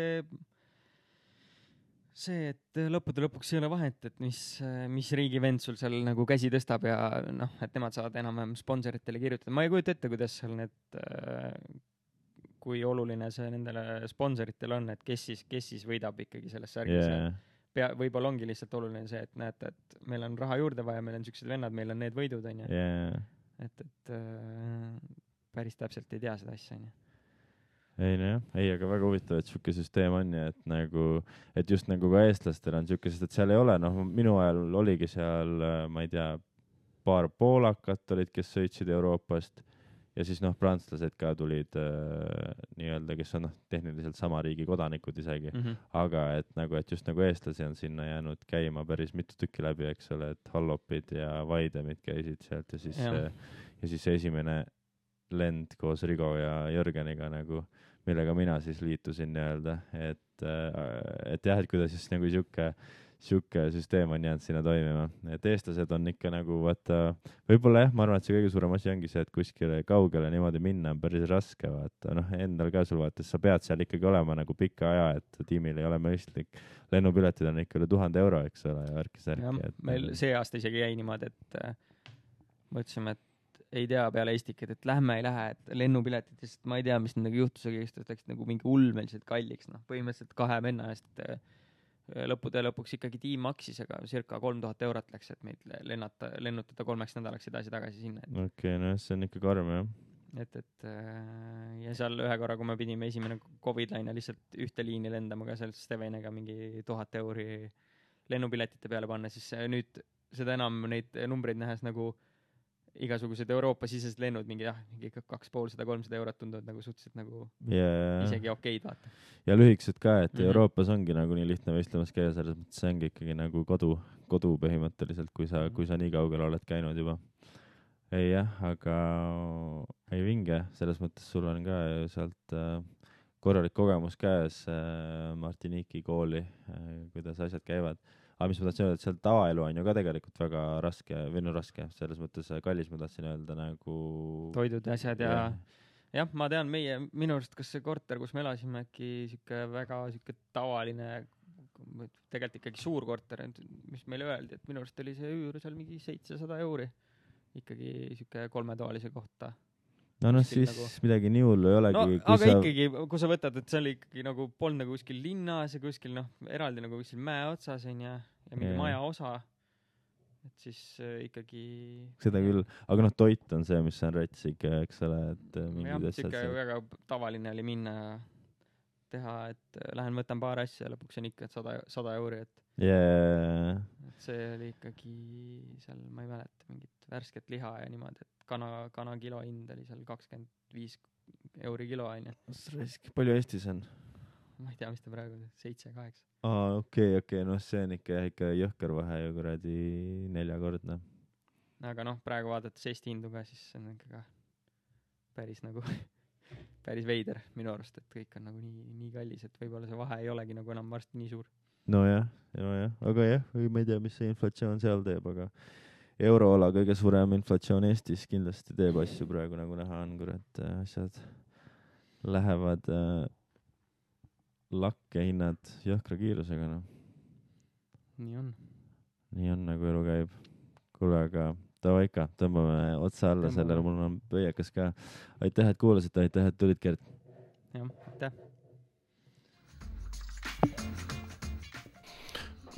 see, et lõppude lõpuks ei ole vahet, et mis, mis riigi vend sul seal nagu käsi tõstab ja noh, et nemad saavad enam-vähem sponsoritele kirjutada. Ma ei kujuta ette, kuidas seal need, kui oluline see nendele sponsoritel on, et kes siis, kes siis võidab ikkagi selles särgis yeah.. Pea, võib-olla ongi lihtsalt oluline see, et näete, et meil on raha juurde vaja, meil on siuksed vennad, meil on need võidud, on ju. Yeah. Et, et päris täpselt ei tea seda asja, on ju. Ei, no jah. Ei, aga väga huvitav, et siuke süsteem on ja et nagu, et just nagu ka eestlastel on siuke, sest et seal ei ole, noh, minu ajal oligi seal, ma ei tea, paar poolakat olid, kes sõitsid Euroopast ja siis noh, prantslased ka tulid äh, nii-öelda, kes on noh, tehniliselt sama riigi kodanikud isegi, mm-hmm. aga et nagu, et just nagu eestlasi on sinna jäänud käima päris mitu tükki läbi, eks ole, et Hallopid ja Vaidemid käisid sealt ja siis, ja. ja siis esimene lend koos Rigo ja Jörgeniga nagu, millega mina siis liitusin nii-öelda, et, et jah, et kuidas siis nagu siuke, siuke süsteem on jäänud sinna toimima. Et eestlased on ikka nagu, vaata, võib-olla jah, ma arvan, et see kõige suurem asi ongi see, et kuskile kaugele niimoodi minna on päris raske, vaata, noh, endal ka sul vaata, sa pead seal ikkagi olema nagu pika aja, et tiimil ei ole mõistlik. Lennupiletid on ikka üle tuhande euro, eks ole, ja värki-särki. Et meil see aasta isegi jäi niimoodi, et mõtlesime, et ei tea peale Eestiked, et lähme ei lähe, et lennupiletid, sest ma ei tea, mis nendega juhtus, aga just läks nagu mingi ulmeliselt kalliks, noh, põhimõtteliselt kahe venna eest lõppude lõpuks ikkagi tiim maksis, aga circa kolm tuhat eurot läks, et meid lennata, lennutada kolmeks nädalaks edasi-tagasi sinna. Okei, okay, no see on ikka karm, jah. Et, et ja seal ühe korra, kui me pidime esimene Covid-laine lihtsalt ühte liini lendama ka seal Steveniga mingi tuhat euri lennupiletite peale panna, siis nüüd seda enam neid numbreid nähes nagu igasugused Euroopa-sisesed lennud mingi jah, mingi kaks pool sada, kolmsada eurot tunduvad nagu suhteliselt nagu yeah. isegi okeid, vaata. Ja lühikesed ka, et mm-hmm. Euroopas ongi nagu nii lihtne võistlemas käia, selles mõttes see ongi ikkagi nagu kodu, kodu põhimõtteliselt, kui sa, kui sa nii kaugel oled käinud juba. Ei jah, aga ei vinge, selles mõttes sul on ka sealt äh, korralik kogemus käes äh, Martiniiki kooli, äh, kuidas asjad käivad. Aga mis ma tahtsin öelda, et seal tavaelu on ju ka tegelikult väga raske, või no raske, selles mõttes kallis ma tahtsin öelda nagu... Toidud ja asjad ja... ja... Jah, ma tean, meie, minu arust, kas see korter, kus me elasime, äkki siuke väga siuke tavaline, tegelikult ikkagi suur korter, mis meile öeldi, et minu arust oli see üür seal mingi seitsesada euri. Ikkagi siuke kolmetoalise kohta. No noh, siis nagu... midagi nii hullu ei olegi. No, aga sa... ikkagi, kui sa võtad, et see oli ikkagi nagu polnud nagu kuskil linnas ja kuskil noh, eraldi nagu kuskil mäe otsas on ja, ja mingi yeah. maja osa, et siis äh, ikkagi... Seda küll, aga noh, toit on see, mis on rets ikka, eks ole, et mingid jah, siuke väga tavaline oli minna teha, et lähen võtan paar asja ja lõpuks on ikka sada, sada euri, et yeah. et see oli ikkagi seal, ma ei mäleta, mingit värsket liha ja niimoodi, et kana, kana kilo hind oli seal kakskümmend viis euri kilo, on ju. Palju Eestis on? Ma ei tea, mis ta praegu on, seitse, kaheksa. Aa, okei, okay, okei, okay. No see on ikka, ikka jõhker vahe ju kuradi neljakordne. Aga noh, praegu vaadates Eesti hindu ka, siis see on ikka ka päris nagu, päris veider minu arust, et kõik on nagu nii, nii kallis, et võib-olla see vahe ei olegi nagu enam varsti nii suur. No jah, no jah, aga jah, ma ei tea, mis see inflatsioon seal teeb, aga euroola kõige suurem inflatsioon Eestis kindlasti teeb asju praegu, nagu näha on, kurat, asjad lähevad äh, lakke hinnad jõhkra kiirusega, noh. Nii on. Nii on, nagu elu käib. Kuule, aga tava ikka, tõmbame otsa alla Tõmbame. Sellele, mul on pöiakas ka. Aitäh, et kuulasid, aitäh, et tulid, Gert. Jah, aitäh.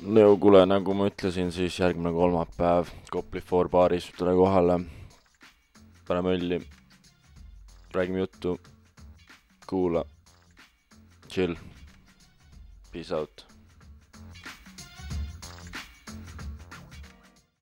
No kuule, nagu ma ütlesin, siis järgmine kolmapäev Kopli Four baaris tule kohale. Paneme õlli. Räägime juttu. Kuula. Chill. Peace out.